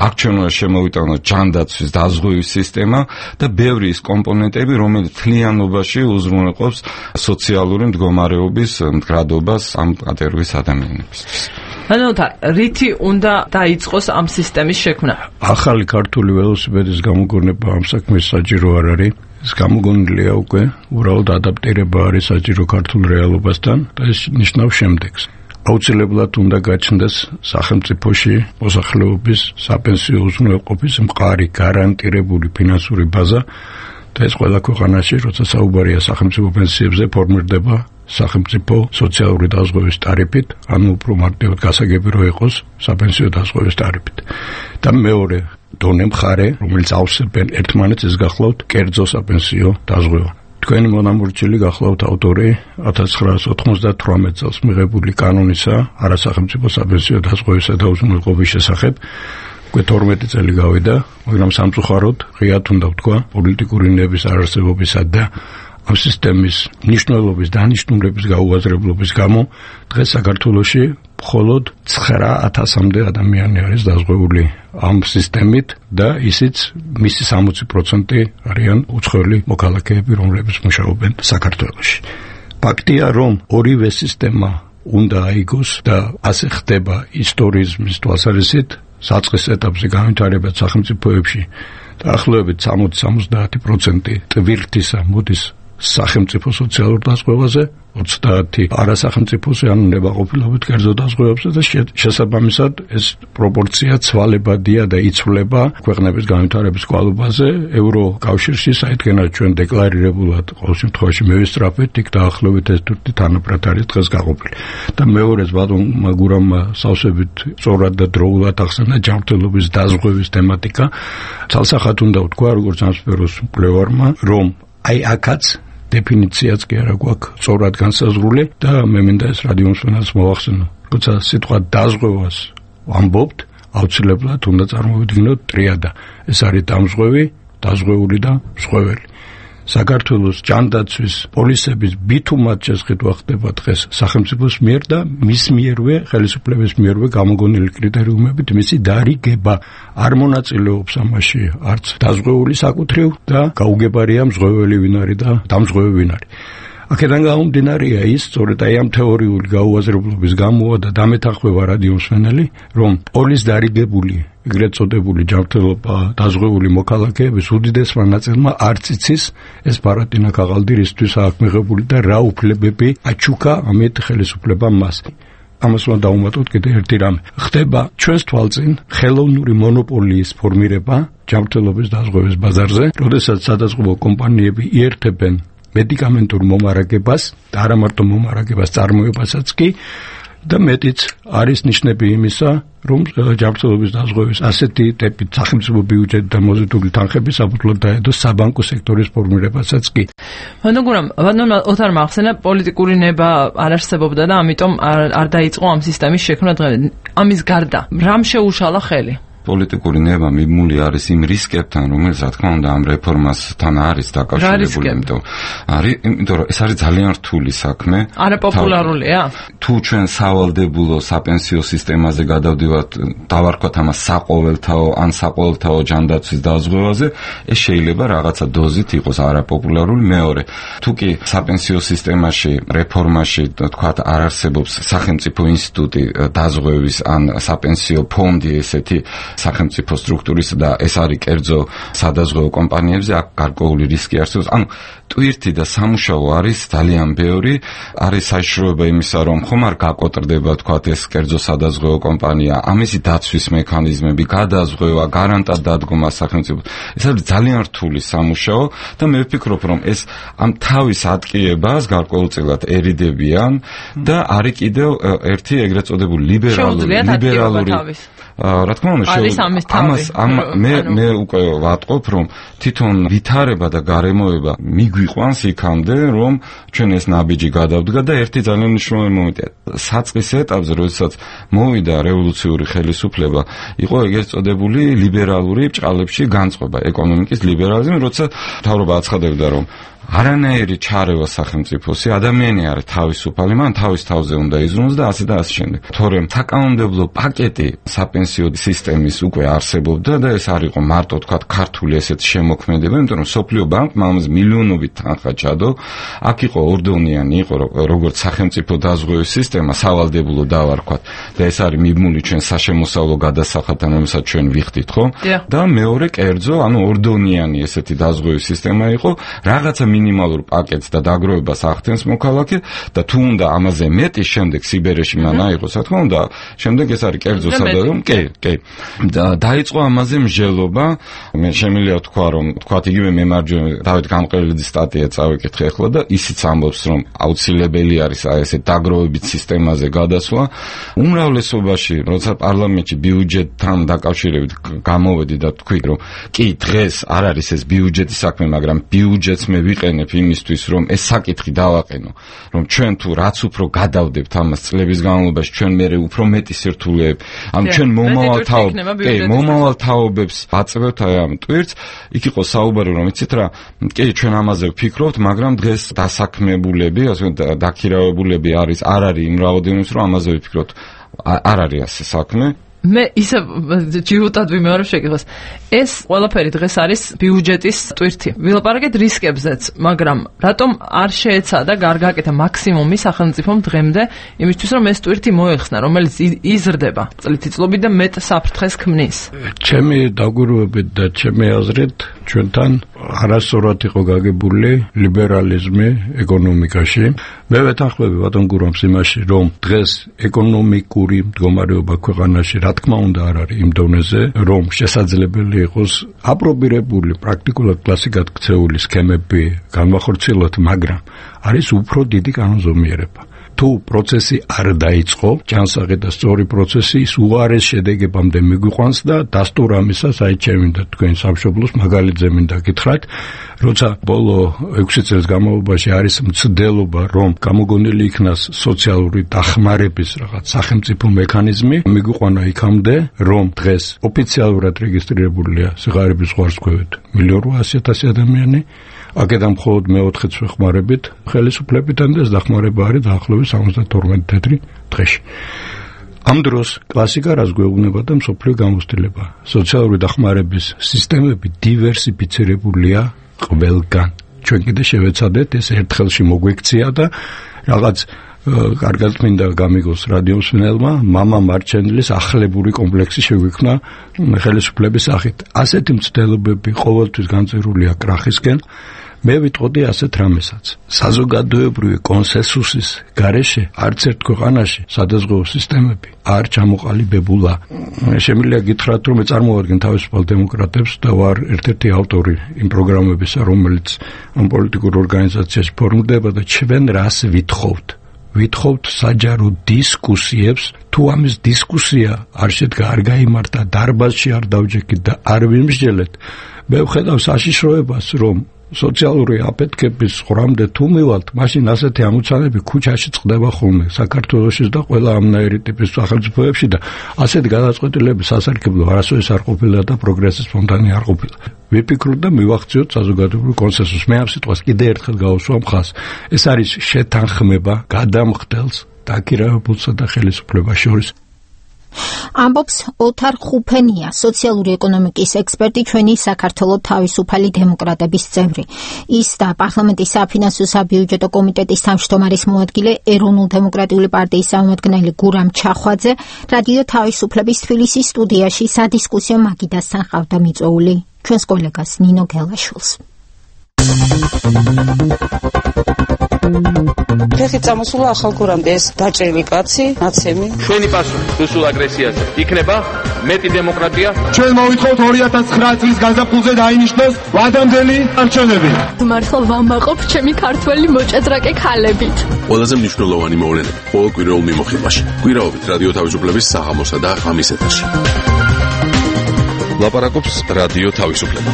აქ ჩვენ უნდა შემოვიტანოთ ჯანდაცვის დაზღვევის სისტემა და ბევრი ის კომპონენტები, რომელიც მთლიანობაში უზრუნველყოფს სოციალური მდგომარეობის მდგრადობას ამ კატეგორიის ადამიანებისთვის. ანუ რითი უნდა დაიწყოს ამ სისტემის შექმნა? ახალი ქართული ველოსიპედის გამოგონება ამ საქმეს საჭირო არ არის. ეს გამოგონილია უკვე, უბრალოდ ადაპტირება არის საჭირო ქართულ რეალობასთან და ეს ნიშნავს შემდეგს. აუცილებლად უნდა გაჩნდეს სახელმწიფოში მოსახლეობის საპენსიო უზრუნველყოფის მყარი გარანტირებული ფინანსური ბაზა და ეს ყველა ქვეყანაში, როცა საუბარია სახელმწიფო პენსიებზე, ფორმირდება სახელმწიფო სოციალური დაზღვევის ტარიფით, ანუ უფრო მარტივად გასაგები რო იყოს საპენსიო დაზღვევის ტარიფით. და მეორე დონე მხარე, რომელიც ავსებენ ერთმანეთს, ეს გახლავთ კერძო საპენსიო დაზღვევა. თქვენი მონამორჩილი გახლავთ ავტორი ათას ცხრაასი ოთხმოცდათვრამეტ წელს მიღებული კანონისა არასახელმწიფო საპენსიო დაზღვევისა და უზრუნველყოფის შესახებ. უკვე თორმეტი წელი გავიდა, მაგრამ სამწუხაროდ ღიად უნდა ვთქვა პოლიტიკური ნების არარსებობისა და ამ სისტემის მნიშვნელობის დანიშნულების გაუაზრებლობის გამო დღეს საქართველოში მხოლოდ ცხრა ათასამდე ადამიანი არის დაზღვეული ამ სისტემით და ისიც მისი სამოცი პროცენტი არიან უცხოელი მოქალაქეები, რომლებიც მუშაობენ საქართველოში. ფაქტია, რომ ორივე სისტემა უნდა აიგოს და ასე ხდება ისტორიზმის თვალსაზრისით, საწყის ეტაპზე განვითარებად სახელმწიფოებში დაახლოებით სამოცი სამოცდაათი პროცენტი ტვირთისა მოდის სახელმწიფო სოციალურ დაზღვევაზე, ოცდაათი არასახელმწიფოზე, ანუ ნებაყოფლობით კერძო დაზღვევებზე და შესაბამისად ეს პროპორცია ცვალებადია და იცვლება ქვეყნების განვითარების კვალობაზე. ევროკავშირში საიდანაც ჩვენ დეკლარირებულად ყოველ შემთხვევაში მევისწრაფეთ, იქ დაახლოებით ეს თურთი თანაბრად არის დღეს გაყოფილი. და მეორეც ბატონმა გურამმა სავსებით სწორად და დროულად ახსენა ჯანმრთელობის დაზღვევის თემატიკა. ცალსახად უნდა ვთქვა, როგორც ამ სფეროს მკვლევარმა, რომ აი აქაც დეფინიციაც კი არა გვაქვს სწორად განსაზღვრული და მე მინდა ეს რადიომსმენელს მოვახსენო. როცა სიტყვა დაზღვევას ვამბობთ, აუცილებლად უნდა წარმოვიდგინოთ ტრიადა. ეს არის დამზღვევი, დაზღვეული და მსხვეველი. საქართველოს ჯანდაცვის პოლისების ბითუმად შესყიდვა ხდება დღეს სახელმწიფოს მიერ და მის მიერვე, ხელისუფლების მიერვე გამოგონილი კრიტერიუმებით მისი დარიგება არ მონაწილეობს ამაში არც დაზღვეული საკუთრივ და გაუგებარია მსხვეველი ვინ არის და დამსხვევი ვინ არის. აქედან გამომდინარეა ის, სწორედ აი ამ თეორიული გაუაზრებლობის გამოა და დამეთანხმება რადიომსმენელი, რომ პოლის დარიგებული ეგრეთ წოდებული ჯანმრთელობა დაზღვეული მოქალაქეების უდიდესმა ნაწილმა არც იცის ეს ბარატინა ქაღალდი რისთვის აქვს მიღებული და რა უფლებები აჩუქა ამით ხელისუფლებამ მას. ამას უნდა დავუმატოთ კიდე ერთი რამე. ხდება ჩვენს თვალწინ ხელოვნური მონოპოლიის ფორმირება ჯანმრთელობის დაზღვევის ბაზარზე, როდესაც სადაზღვევო კომპანიები იერთებენ მედიკამენტურ მომარაგებას და არა მარტო მომარაგებას, წარმოებასაც კი და მეტიც არის ნიშნები იმისა, რომ ჯანმრთელობის დაზღვევის ასეთი ტიპის სახელმწიფო ბიუჯეტი და მოზიდული თანხები საფუძვლად დაედო საბანკო სექტორის ფორმირებასაც კი. მაგრამ ბატონმა ოთარმა ახსენა პოლიტიკური ნება არ არსებობდა და ამიტომ არ დაიწყო ამ სისტემის შექმნა დღემდე. ამის გარდა რამ შეუშალა ხელი? პოლიტიკური ნება მიმული არის იმ რისკებთან, რომელიც რა თქმა უნდა ამ რეფორმასთან არის დაკავშირებული, იმიტომ არის, იმიტომ რომ ეს არის ძალიან რთული საქმე. არაპოპულარულია? თუ ჩვენ სავალდებულო საპენსიო სისტემაზე გადავდივართ, დავარქვათ ამას საყოველთაო ან საყოველთაო ჯანდაცვის დაზღვევაზე, ეს შეიძლება რაღაცა დოზით იყოს არაპოპულარული. მეორე, თუ კი საპენსიო სისტემაში, რეფორმაში, თქვათ, არ არსებობს სახელმწიფო ინსტიტუტი დაზღვევის ან საპენსიო ფონდი ესეთი სახელმწიფო სტრუქტურის და ეს არის კერძო სადაზღვევო კომპანიებზე, აქ გარკვეული რისკი არსებობს. ანუ ტვირთი და სამუშაო არის ძალიან ბევრი, არის საშიშროება იმისა, რომ ხომ არ გაკოტრდება, თქვათ, ეს კერძო სადაზღვევო კომპანია, ამისი დაცვის მექანიზმები, გადაზღვევა, გარანტად დადგომა სახელმწიფო. ეს არის ძალიან რთული სამუშაო და მე ვფიქრობ, რომ ეს ამ თავის ატკიებას გარკვეულწილად ერიდებიან და არის კიდევ ერთი ეგრეთ წოდებული ლიბერალური ლიბერალური რა თქმა უნდა ამას ამ მე მე უკვე ვატყობ, რომ თვითონ ვითარება და გარემოება მიგვიყვანს იქამდე, რომ ჩვენ ეს ნაბიჯი გადავდგა და ერთი ძალიან მნიშვნელოვანი მომენტია. საწყის ეტაპზე, როდესაც მოვიდა რევოლუციური ხელისუფლება, იყო ეგრეთ წოდებული ლიბერალური ბრჭყალებში განწყობა, ეკონომიკის ლიბერალიზმი, როცა მთავრობა აცხადებდა, რომ არანაირი ჩარევა სახელმწიფოსი, ადამიანი არის თავისუფალი, მან თავის თავზე უნდა იზრუნოს და ასე და ასე შემდეგ. თორემ საკანონმდებლო პაკეტი საპენსიო სისტემის უკვე არსებობდა და ეს არ იყო მარტო თქვათ ქართული ესეთ შემოქმედება, იმიტომ რომ სოფლიო ბანკმა ამაზე მილიონობით თანხა ჩადო. აქ იყო ორდონიანი, იყო როგორც სახელმწიფო დაზღვევის სისტემა, სავალდებულო დავარქვათ და ეს არის მიმული ჩვენ საშემოსავლო გადასახადთან, რომელსაც ჩვენ ვიხდით, ხო? და მეორე კერძო, ანუ ორდონიანი ესეთი დაზღვევის სისტემა იყო, რაღაცა მინიმალურ პაკეტს და დაგროვებას ახდენს მოქალაქე და თუ უნდა ამაზე მეტი შემდეგ სიბერეში მან აიღოს, რა თქმა უნდა, შემდეგ ეს არის კერძო სადაზღვევო, კი, კი. და დაიწყო ამაზე მსჯელობა. მე შემიძლია თქვა, რომ თქვათ იგივე მემარჯვენე დავით გამყრელიძის სტატია წავიკითხე ახლა და ისიც ამბობს, რომ აუცილებელი არის აი ესე დაგროვებით სისტემაზე გადასვლა. უმრავლესობაში, როცა პარლამენტში ბიუჯეტთან დაკავშირებით გამოვედი და თქვი, რომ კი დღეს არ არის ეს ბიუჯეტის საქმე, მაგრამ ბიუჯეტს მე ვიყენებ იმისთვის, რომ ეს საკითხი დავაყენო, რომ ჩვენ თუ რაც უფრო გადავდებთ ამას წლების განმავლობაში, ჩვენ მერე უფრო მეტი სირთულეებ, ანუ ჩვენ მომავალ თაობ, კი, მომავალ თაობებს აწევთ აი ამ ტვირთს. იქ იყო საუბარი, რომ იცით რა, კი, ჩვენ ამაზე ვფიქრობთ, მაგრამ დღეს დასაქმებულები, ასე დაქირავებულები არის, არ არის იმ რაოდენობის, რომ ამაზე ვფიქრობთ. არ არის ასე საქმე. მე ისე ჯიუტად ვიმეორებ შეკითხვას. ეს ყველაფერი დღეს არის ბიუჯეტის ტვირთი. ვილაპარაკეთ რისკებზეც, მაგრამ რატომ არ შეეცადა გარგაკეთა მაქსიმუმი სახელმწიფომ დღემდე იმისთვის, რომ ეს ტვირთი მოეხსნა, რომელიც იზრდება წლითიწლობით და მეტ საფრთხეს ქმნის? ჩემი დაგვირგვებით და ჩემი აზრით, ჩვენთან არასწორად იყო გაგებული ლიბერალიზმი ეკონომიკაში. მე ვეთანხმები ბატონ გურამს იმაში, რომ დღეს ეკონომიკური მდგომარეობა ქვეყანაში რა თქმა უნდა არ არის იმ დონეზე, რომ შესაძლებელი იყოს აპრობირებული პრაქტიკულად კლასიკად ქცეული სქემები განვახორციელოთ, მაგრამ არის უფრო დიდი კანონზომიერება. თუ პროცესი არ დაიწყო, ჯანსაღი და სწორი პროცესი ის უარეს შედეგებამდე მიგვიყვანს და დასტურ ამისას აი ჩემი და თქვენ სამშობლოს მაგალითზე მინდა გითხრათ, როცა ბოლო ექვსი წელს განმავლობაში არის მცდელობა, რომ გამოგონილი იქნას სოციალური დახმარების რაღაც სახელმწიფო მექანიზმი, მიგვიყვანა იქამდე, რომ დღეს ოფიციალურად რეგისტრირებულია სიღარიბის ზღვარსქვევით მილიონ რვაასი ათასი ადამიანი. აქედან მხოლოდ მეოთხეც ვეხმარებით ხელისუფლებიდან და ეს დახმარება არის დაახლოებით სამოცდათორმეტი თეთრი დღეში. ამ დროს კლასიკა რას გვეუბნება და მსოფლიო გამოცდილება. სოციალური დახმარების სისტემები დივერსიფიცირებულია ყველგან. ჩვენ კიდე შევეცადეთ ეს ერთხელში მოგვექცია და რაღაც კარგად მინდა გამიგოს რადიომსმენელმა, მამა მარჩენლის ახლებური კომპლექსი შეგვიქმნა ხელისუფლების სახით. ასეთი მცდელობები ყოველთვის განწერულია კრახისკენ. მე ვიტყოდი ასეთ რამესაც. საზოგადოებრივი კონსენსუსის გარეშე არც ერთ ქვეყანაში სადაზღვევო სისტემები არ ჩამოყალიბებულა. შემიძლია გითხრათ, რომ მე წარმოვადგენ თავისუფალ დემოკრატებს და ვარ ერთ-ერთი ავტორი იმ პროგრამებისა, რომელიც ამ პოლიტიკურ ორგანიზაციაში ფორმირდება და ჩვენ რას ვითხოვთ. ვითხოვთ საჯარო დისკუსიებს, თუ ამის დისკუსია არ შედგა, არ გაიმართა, დარბაზში არ დავჯექით და არ ვიმსჯელეთ, მე ვხედავ საშიშროებას, რომ სოციალური აფეთქების ხრამდე თუ მივალთ, მაშინ ასეთი ამოცანები ქუჩაში წყდება ხოლმე საქართველოში და ყველა ამნაირი ტიპის სახელმწიფოებში და ასეთი გადაწყვეტილების სასარგებლო არასოდეს არ ყოფილა და პროგრესის სპონტანე არ ყოფილა. ვიფიქროთ და მივახციოთ საზოგადოებრივ კონსენსუსს. მე ამ სიტყვას კიდე ერთხელ გავუსვა მხას. ეს არის შეთანხმება გადამხდელს დაქირავებულსა და ხელისუფლებას შორის. ამბობს ოთარ ხუფენია, სოციალური ეკონომიკის ექსპერტი, ჩვენი საქართველოს თავისუფალი დემოკრატების წევრი. ის და პარლამენტის საფინანსო საბიუჯეტო კომიტეტის თავმჯდომარის მოადგილე, ეროვნულ-დემოკრატიული პარტიის წარმომადგენელი გურამ ჩახვაძე, რადიო თავისუფლების თბილისის სტუდიაში სადისკუსიო მაგიდასთან ყავდა მიწვეული ჩვენს კოლეგას ნინო გელაშვილს. ფეხი წამოსულა ახალ გურამდე ეს დაჭრილი კაცი, ნაცემი. ჩვენი პასუხი რუსულ აგრესიაზე იქნება მეტი დემოკრატია. ჩვენ მოვითხოვთ ორი ათას ცხრა წლის გაზაფხულზე დაინიშნოს ვადამდელი არჩევნები. მართლა ვამაყობ ჩემი ქართველი მოჭადრაკე ქალებით. ყველაზე მნიშვნელოვანი მოვლენები ყოველ კვირაულ მიმოხილვაში. კვირაობით რადიო თავისუფლების საღამოსა და ღამის ეთერში. ლაპარაკობს რადიო თავისუფლება.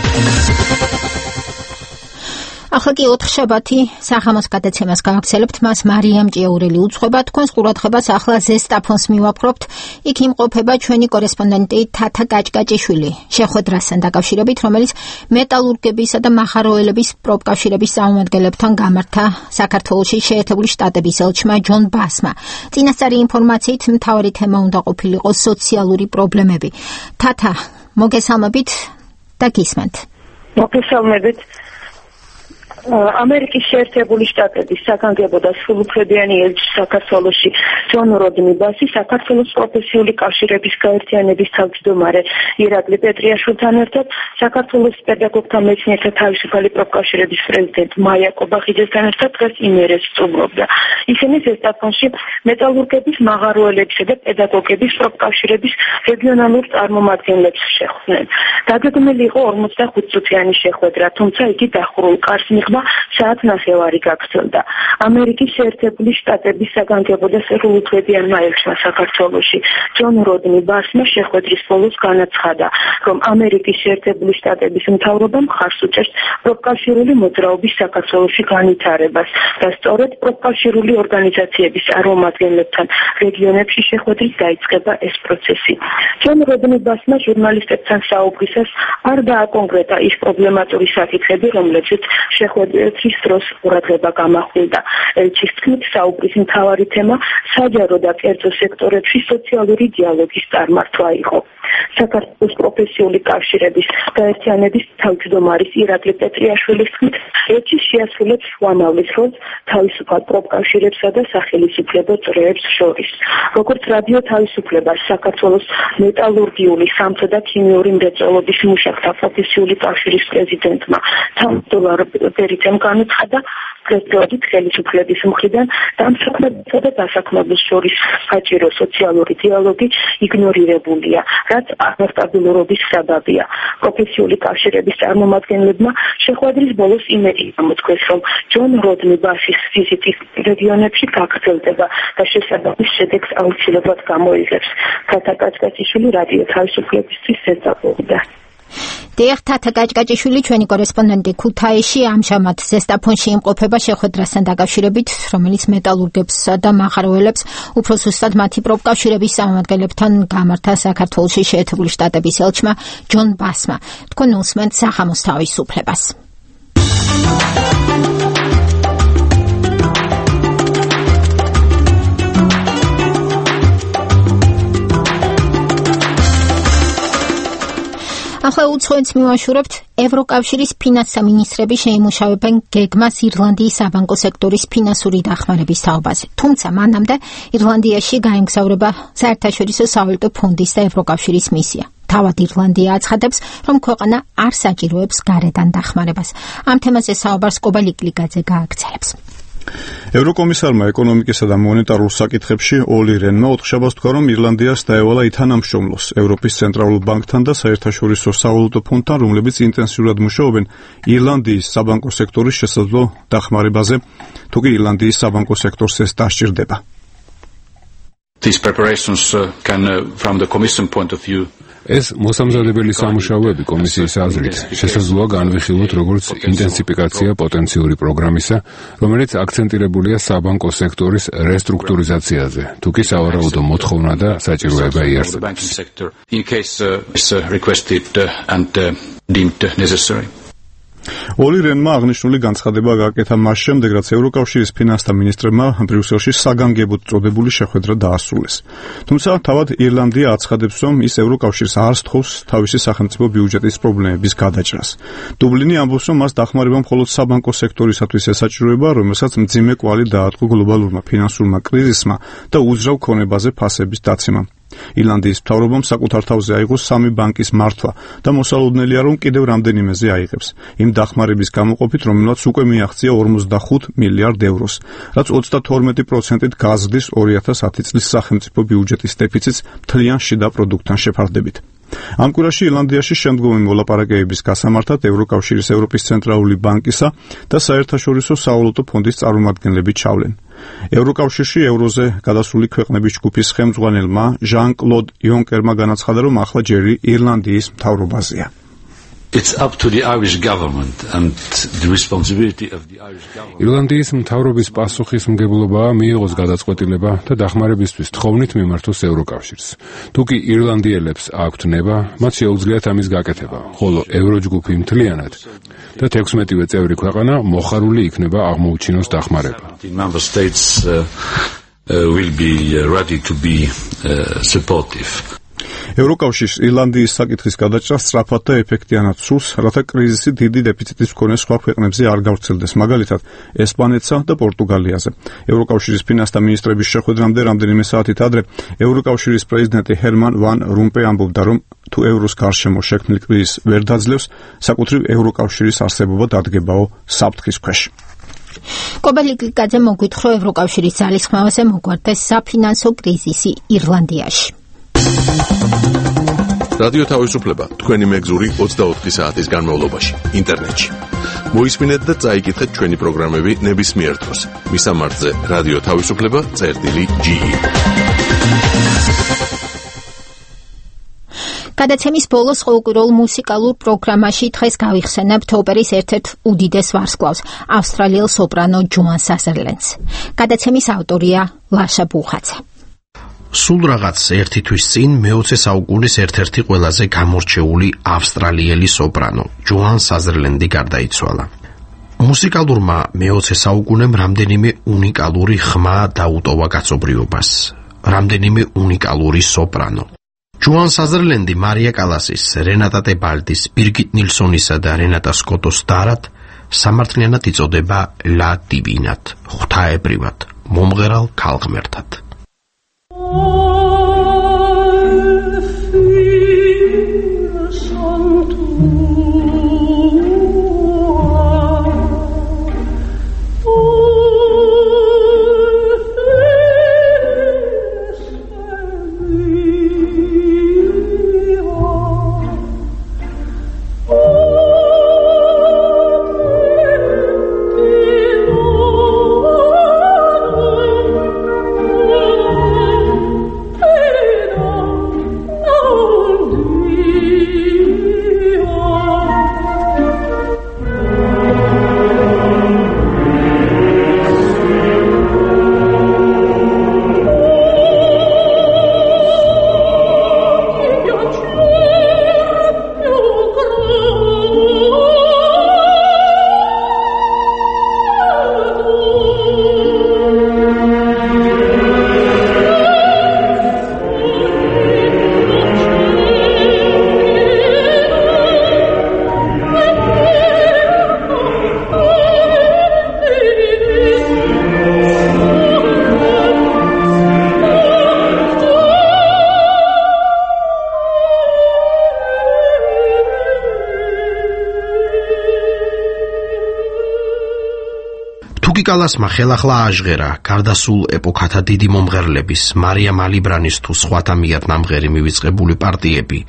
ახლა კი ოთხშაბათი საღამოს გადაცემას გავაგრძელებთ, მას მარიამ ჭიაურელი უძღვება. თქვენს ყურადღებას ახლა ზესტაფონს მივაპყრობთ. იქ იმყოფება ჩვენი კორესპონდენტი თათა გაჭკაჭიშვილი, შეხვედრასთან დაკავშირებით, რომელიც მეტალურგებისა და მაღაროელების პროფკავშირების წარმომადგენლებთან გამართა საქართველოში შეერთებული შტატების ელჩმა ჯონ ბასმა. წინასწარი ინფორმაციით მთავარი თემა უნდა ყოფილიყო სოციალური პრობლემები. თათა, მოგესალმებით და გისმენთ. მოგესალმებით. ამერიკის შეერთებული შტატების საგანგებო და სრულუფლებიანი ელჩი საქართველოში ჯონ როდნი ბასი საქართველოს პროფესიული კავშირების გაერთიანების თავმჯდომარე ირაკლი პეტრიაშვილთან ერთად საქართველოს პედაგოგთა მეცნიერთა თავისუფალი პროფკავშირების პრეზიდენტ მაია კობახიძესთან ერთად დღეს იმერეს სტუმრობდა. ისინი ზესტაფონში მეტალურგების, მაღაროელებისა და პედაგოგების პროფკავშირების რეგიონალურ წარმომადგენლებს შეხვდნენ. დაგეგმილი იყო ორმოცდახუთ წუთიანი შეხვედრა, თუმცა იგი დახურულ კარს მიხვდა საათ ნახევარი გაგრძელდა. ამერიკის შეერთებული შტატების საგანგებო და სრულუფლებიანმა ელჩმა საქართველოში ჯონ როდნი ბასმა შეხვედრის ბოლოს განაცხადა, რომ ამერიკის შეერთებული შტატების მთავრობამ მხარს უჭერს პროფკავშირული მოძრაობის საქართველოში განვითარებას და სწორედ პროფკავშირული ორგანიზაციების წარმომადგენლებთან რეგიონებში შეხვედრით დაიწყება ეს პროცესი. ჯონ როდნი ბასმა ჟურნალისტებთან საუბრისას არ დააკონკრეტა ის პრობლემატური საკითხები, რომლებზეც შეხვედრა თვის დროს ყურადღება გამახვილდა. ელჩის თქმით, საუბრის მთავარი თემა საჯარო და კერძო სექტორებში სოციალური დიალოგის წარმართვა იყო. საქართველოს პროფესიული კავშირების გაერთიანების თავმჯდომარის ირაკლი პეტრიაშვილის თქმით, ელჩი შეასრულებს შუამავლის როლს თავისუფალ პროფკავშირებსა და სახელისუფლებო წრეებს შორის. როგორც რადიო თავისუფლება საქართველოს მეტალურგიული, სამთო და ქიმიური მრეწველობის მუშაკთა პროფესიული კავშირის პრეზიდენტმა თავმჯდომარებთან განაცხადა, პრეზიდენტის ხელისუფლების მხრიდან დამსაქმებელსა და დასაქმებულს შორის საჭირო სოციალური დიალოგი იგნორირებულია, რაც არასტაბილურობის საბაბია. პროფესიული კავშირების წარმომადგენლებმა შეხვედრის ბოლოს იმედი გამოთქვეს, რომ ჯონ როდნი ბასის ვიზიტი რეგიონებში გაგრძელდება და შესაბამის შედეგს აუცილებლად გამოიღებს. თათა გაჭკაჭიშვილი რადიო თავისუფლებისთვის ზესტაფონიდან. დიახ, თათა გაჭკაჭიშვილი, ჩვენი კორესპონდენტი ქუთაისში ამჟამად ზესტაფონში იმყოფება შეხვედრასთან დაკავშირებით, რომელიც მეტალურგებსა და მაღაროელებს, უფრო ზუსტად მათი პროფკავშირების წარმომადგენლებთან გამართა საქართველოში შეერთებული შტატების ელჩმა ჯონ ბასმა. თქვენ უსმენთ საღამოს თავისუფლებას. ახლა უცხოეთს მივაშურებთ. ევროკავშირის ფინანსთა მინისტრები შეიმუშავებენ გეგმას ირლანდიის საბანკო სექტორის ფინანსური დახმარების თაობაზე. თუმცა მანამდე ირლანდიაში გაემგზავრება საერთაშორისო სავალუტო ფონდის და ევროკავშირის მისია. თავად ირლანდია აცხადებს, რომ ქვეყანა არ საჭიროებს გარედან დახმარებას. ამ თემაზე საუბარს კობა ლიკლიკაძე გააგრძელებს. ევროკომისარმა ეკონომიკისა და მონეტარულ საკითხებში ოლი რენმა ოთხშაბათს თქვა, რომ ირლანდიას დაევალა ითანამშრომლოს ევროპის ცენტრალურ ბანკთან და საერთაშორისო სავალუტო ფონდთან, რომლებიც ინტენსიურად მუშაობენ ირლანდიის საბანკო სექტორის შესაძლო დახმარებაზე, თუ კი ირლანდიის საბანკო სექტორს ეს დასჭირდება. These preparations uh, can uh, from the commission point of view ეს მოსამზადებელი სამუშაოები კომისიის აზრით შესაძლოა განვიხილოთ როგორც ინტენსიფიკაცია პოტენციური პროგრამისა, რომელიც აქცენტირებულია საბანკო სექტორის რესტრუქტურიზაციაზე, თუ კი სავარაუდო მოთხოვნა და საჭიროება იარსებებს. ოლი რენმა აღნიშნული განცხადება გააკეთა მას შემდეგ, რაც ევროკავშირის ფინანსთა მინისტრებმა ბრიუსელში საგანგებოდ წოდებული შეხვედრა დაასრულეს. თუმცა თავად ირლანდია აცხადებს, რომ ის ევროკავშირს არ სთხოვს თავისი სახელმწიფო ბიუჯეტის პრობლემების გადაჭრას. დუბლინი ამბობს, რომ მას დახმარება მხოლოდ საბანკო სექტორისათვის ესაჭიროება, რომელსაც მძიმე კვალი დაატყო გლობალურმა ფინანსურმა კრიზისმა და უძრავ ქონებაზე ფასების დაცემამ. ირლანდიის მთავრობამ საკუთარ თავზე აიღო სამი ბანკის მართვა და მოსალოდნელია, რომ კიდევ რამდენიმეზე აიღებს. იმ დახმარების გამოყოფით, რომელმაც უკვე მიაღწია ორმოცდახუთ მილიარდ ევროს, რაც ოცდათორმეტი პროცენტით გაზრდის ორი ათას ათი წლის სახელმწიფო ბიუჯეტის დეფიციტს მთლიან შიდა პროდუქტთან შეფარდებით. ამ კვირაში ირლანდიაში შემდგომი მოლაპარაკებების გასამართად ევროკავშირის ევროპის ცენტრალური ბანკისა და საერთაშორისო სავალუტო ფონდის წარმომადგენლები ჩავლენ. ევროკავშირში ევროზე გადასული ქვეყნების ჯგუფის ხელმძღვანელმა ჟან-კლოდ იუნკერმა განაცხადა, რომ ახლა ჯერი ირლანდიის მთავრობაზეა. It's up to the Irish government and the responsibility of the Irish government. ირლანდიის მთავრობის პასუხისმგებლობაა მიიღოს გადაწყვეტილება და დახმარებისთვის თხოვნით მიმართოს ევროკავშირს. თუ კი ირლანდიელებს აქვთ ნება, მათ შეუძლიათ ამის გაკეთება, ხოლო ევროჯგუფი მთლიანად და თექვსმეტივე წევრი ქვეყანა მოხარული იქნება აღმოუჩინოს დახმარება. The member states uh, uh, will be ready to be uh, supportive. ევროკავშირს ირლანდიის საკითხის გადაჭრა სწრაფად და ეფექტიანად სურს, რათა კრიზისი დიდი დეფიციტის მქონე სხვა ქვეყნებზე არ გავრცელდეს, მაგალითად ესპანეთსა და პორტუგალიაზე. ევროკავშირის ფინანსთა მინისტრების შეხვედრამდე რამდენიმე საათით ადრე ევროკავშირის პრეზიდენტი ჰერმან ვან რომპეი ამბობდა, რომ თუ ევროს გარშემო შექმნილ კრიზისს ვერ დაძლევს, საკუთრივ ევროკავშირის არსებობა დადგებაო საფრთხის ქვეშ. კობელი გლიკაძე მოგვითხრა ევროკავშირის ძალისხმევაზე მოგვარდეს საფინანსო კრიზისი ირლანდიაში. რადიო თავისუფლება თქვენი მეგზური ოცდაოთხი საათის განმავლობაში ინტერნეტში. მოისმინეთ და წაიკითხეთ ჩვენი პროგრამები ნებისმიერ დროს. მისამართზე რადიო თავისუფლება წერტილი ჯი ი. გადაცემის ბოლოს ყოველკვირეულ მუსიკალურ პროგრამაში დღეს გავიხსენებთ ოპერის ერთ-ერთ უდიდეს ვარსკვლავს, ავსტრალიელ სოპრანო ჯოან საზერლენდს. გადაცემის ავტორია ლაშა ბუხაძე. სულ რაღაც ერთი თვის წინ მეოცე საუკუნის ერთ-ერთი ყველაზე გამორჩეული ავსტრალიელი სოპრანო ჯოან საზერლენდი გარდაიცვალა. მუსიკალურმა მეოცე საუკუნემ რამდენიმე უნიკალური ხმა დაუტოვა კაცობრიობას, რამდენიმე უნიკალური სოპრანო. ჯოან საზერლენდი მარია კალასის, რენატა ტებალდის, ბირგიტ ნილსონისა და რენატა სკოტოს დარად სამართლიანად იწოდება ლა დივინად, ღვთაებრივად, მომღერალ ქალღმერთად. თუკიკალასმა ხელახლა აჟღერა გარდასულ ეპოქათა დიდი მომღერლების, მარია მალიბრანის თუ სხვათა მიერ ნამღერი მივიწყებული პარტიები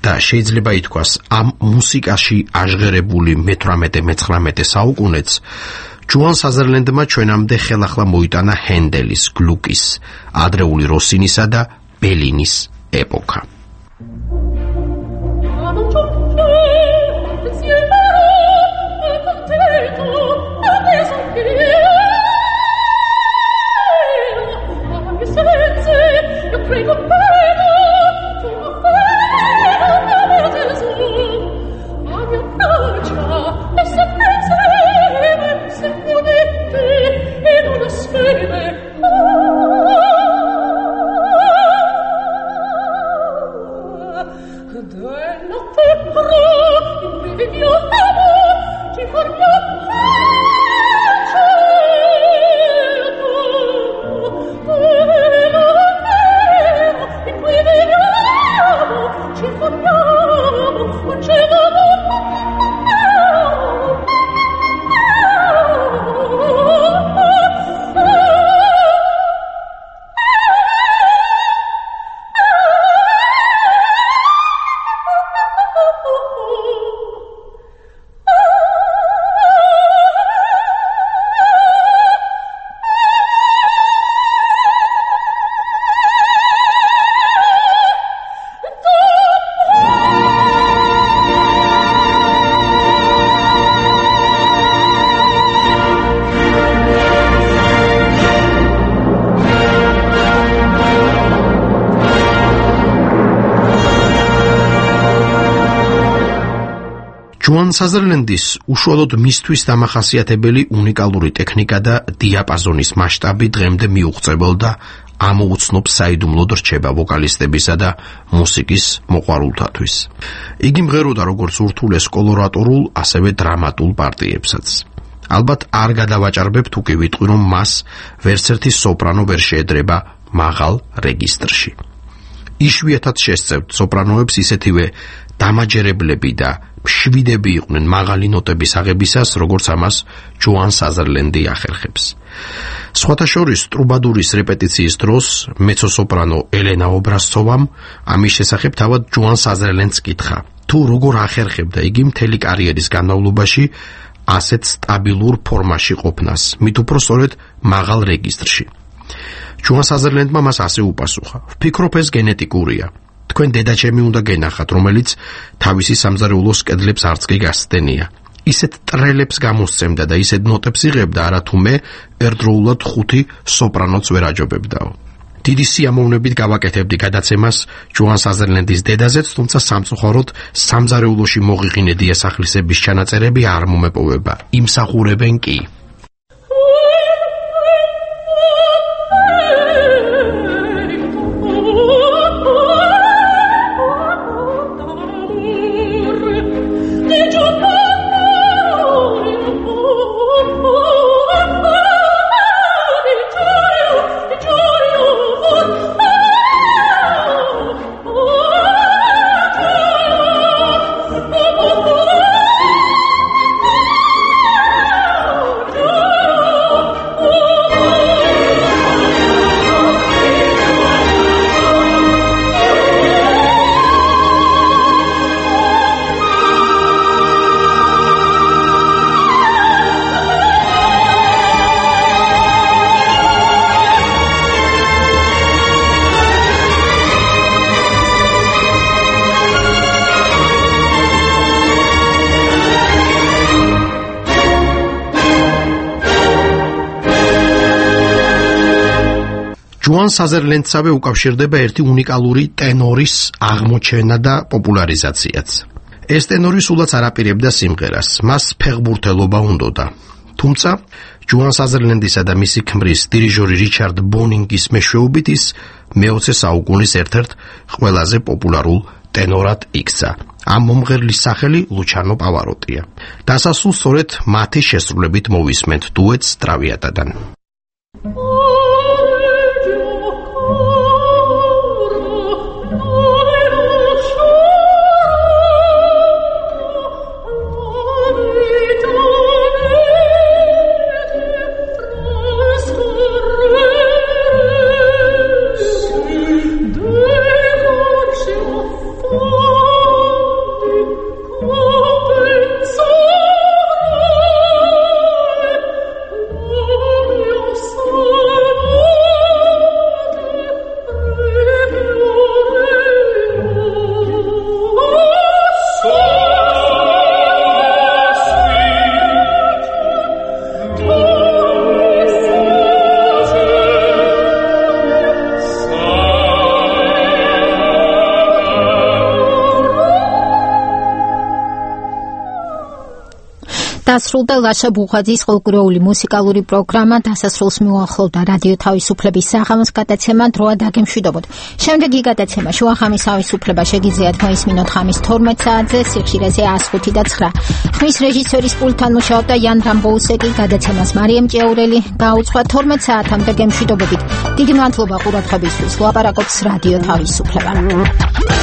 და შეიძლება ითქვას ამ მუსიკაში აჟღერებული მეთვრამეტე-მეცხრამეტე საუკუნეც ჯუან საზერლენდმა ჩვენამდე ხელახლა მოიტანა ჰენდელის, გლუკის, ადრეული როსინისა და ბელინის ეპოქა. ჯუან საზერლენდის უშუალოდ მისთვის დამახასიათებელი უნიკალური ტექნიკა და დიაპაზონის მასშტაბი დღემდე მიუღწეველ და ამოუცნობ საიდუმლოდ რჩება ვოკალისტებისა და მუსიკის მოყვარულთათვის. იგი მღეროდა როგორც ურთულეს კოლორატორულ, ასევე დრამატულ პარტიებსაც. ალბათ არ გადავაჭარბებ თუ კი ვიტყვი, რომ მას ვერცერთი სოპრანო ვერ შეედრება მაღალ რეგისტრში. იშვიათად შესწევთ სოპრანოებს ისეთივე დამაჯერებლები და მშვიდები იყვნენ მაღალი ნოტების აღებისას, როგორც ამას ჯუან საზერლენდი ახერხებს. სხვათა შორის ტრუბადურის რეპეტიციის დროს მეცო-სოპრანო ელენა ობრასცოვამ ამის შესახებ თავად ჯუან საზერლენდს კითხა, თუ როგორ ახერხებდა იგი მთელი კარიერის განმავლობაში ასეთ სტაბილურ ფორმაში ყოფნას, მით უფრო სწორედ მაღალ რეგისტრში. ჯუან საზერლენდმა მას ასე უპასუხა: ვფიქრობ, ეს გენეტიკურია. თქვენ დედაჩემი უნდა გენახათ, რომელიც თავისი სამზარეულოს კედლებს არც კი გასცდენია. ისეთ ტრელებს გამოსცემდა და ისეთ ნოტებს იღებდა, არათუ მე ერთდროულად ხუთი სოპრანოც ვერ აჯობებდაო. დიდი სიამოვნებით გავაკეთებდი გადაცემას ჯუან საზერლენდის დედაზეც, თუმცა სამწუხაროდ სამზარეულოში მოღიღინე დიასახლისების ჩანაწერები არ მომეპოვება. იმსახურებენ კი. ჯუან საზერლენდსავე უკავშირდება ერთი უნიკალური ტენორის აღმოჩენა და პოპულარიზაციაც. ეს ტენორი სულაც არ აპირებდა სიმღერას, მას ფეხბურთელობა უნდოდა. თუმცა ჯუან საზერლენდისა და მისი ქმრის დირიჟორი რიჩარდ ბონინგის მეშვეობით ის მეოცე საუკუნის ერთ-ერთ ყველაზე პოპულარულ ტენორად იქცა. ამ მომღერლის სახელი ლუჩანო პავაროტია. დასასრულს სწორედ მათი შესრულებით მოვისმენთ დუეტს ტრავიატადან. დასრულდა ლაშა ბუღაძის ყოველკვირეული მუსიკალური პროგრამა დასასრულს მიუახლოვდა რადიო თავისუფლების საღამოს გადაცემა დროა დაგემშვიდობოთ. შემდეგი გადაცემა შუახამის თავისუფლება შეგიძლიათ მოისმინოთ ხამის თორმეტ საათზე სიხშირეზე one oh five და nine. ხმის რეჟისორის პულტთან მუშაობდა იან რამბოუსეკი, გადაცემას მარიამ ჭეურელი გაუძღვა თორმეტ საათამდე გემშვიდობებით. დიდი მადლობა ყურადღებისთვის. ლაპარაკობს რადიო თავისუფლება.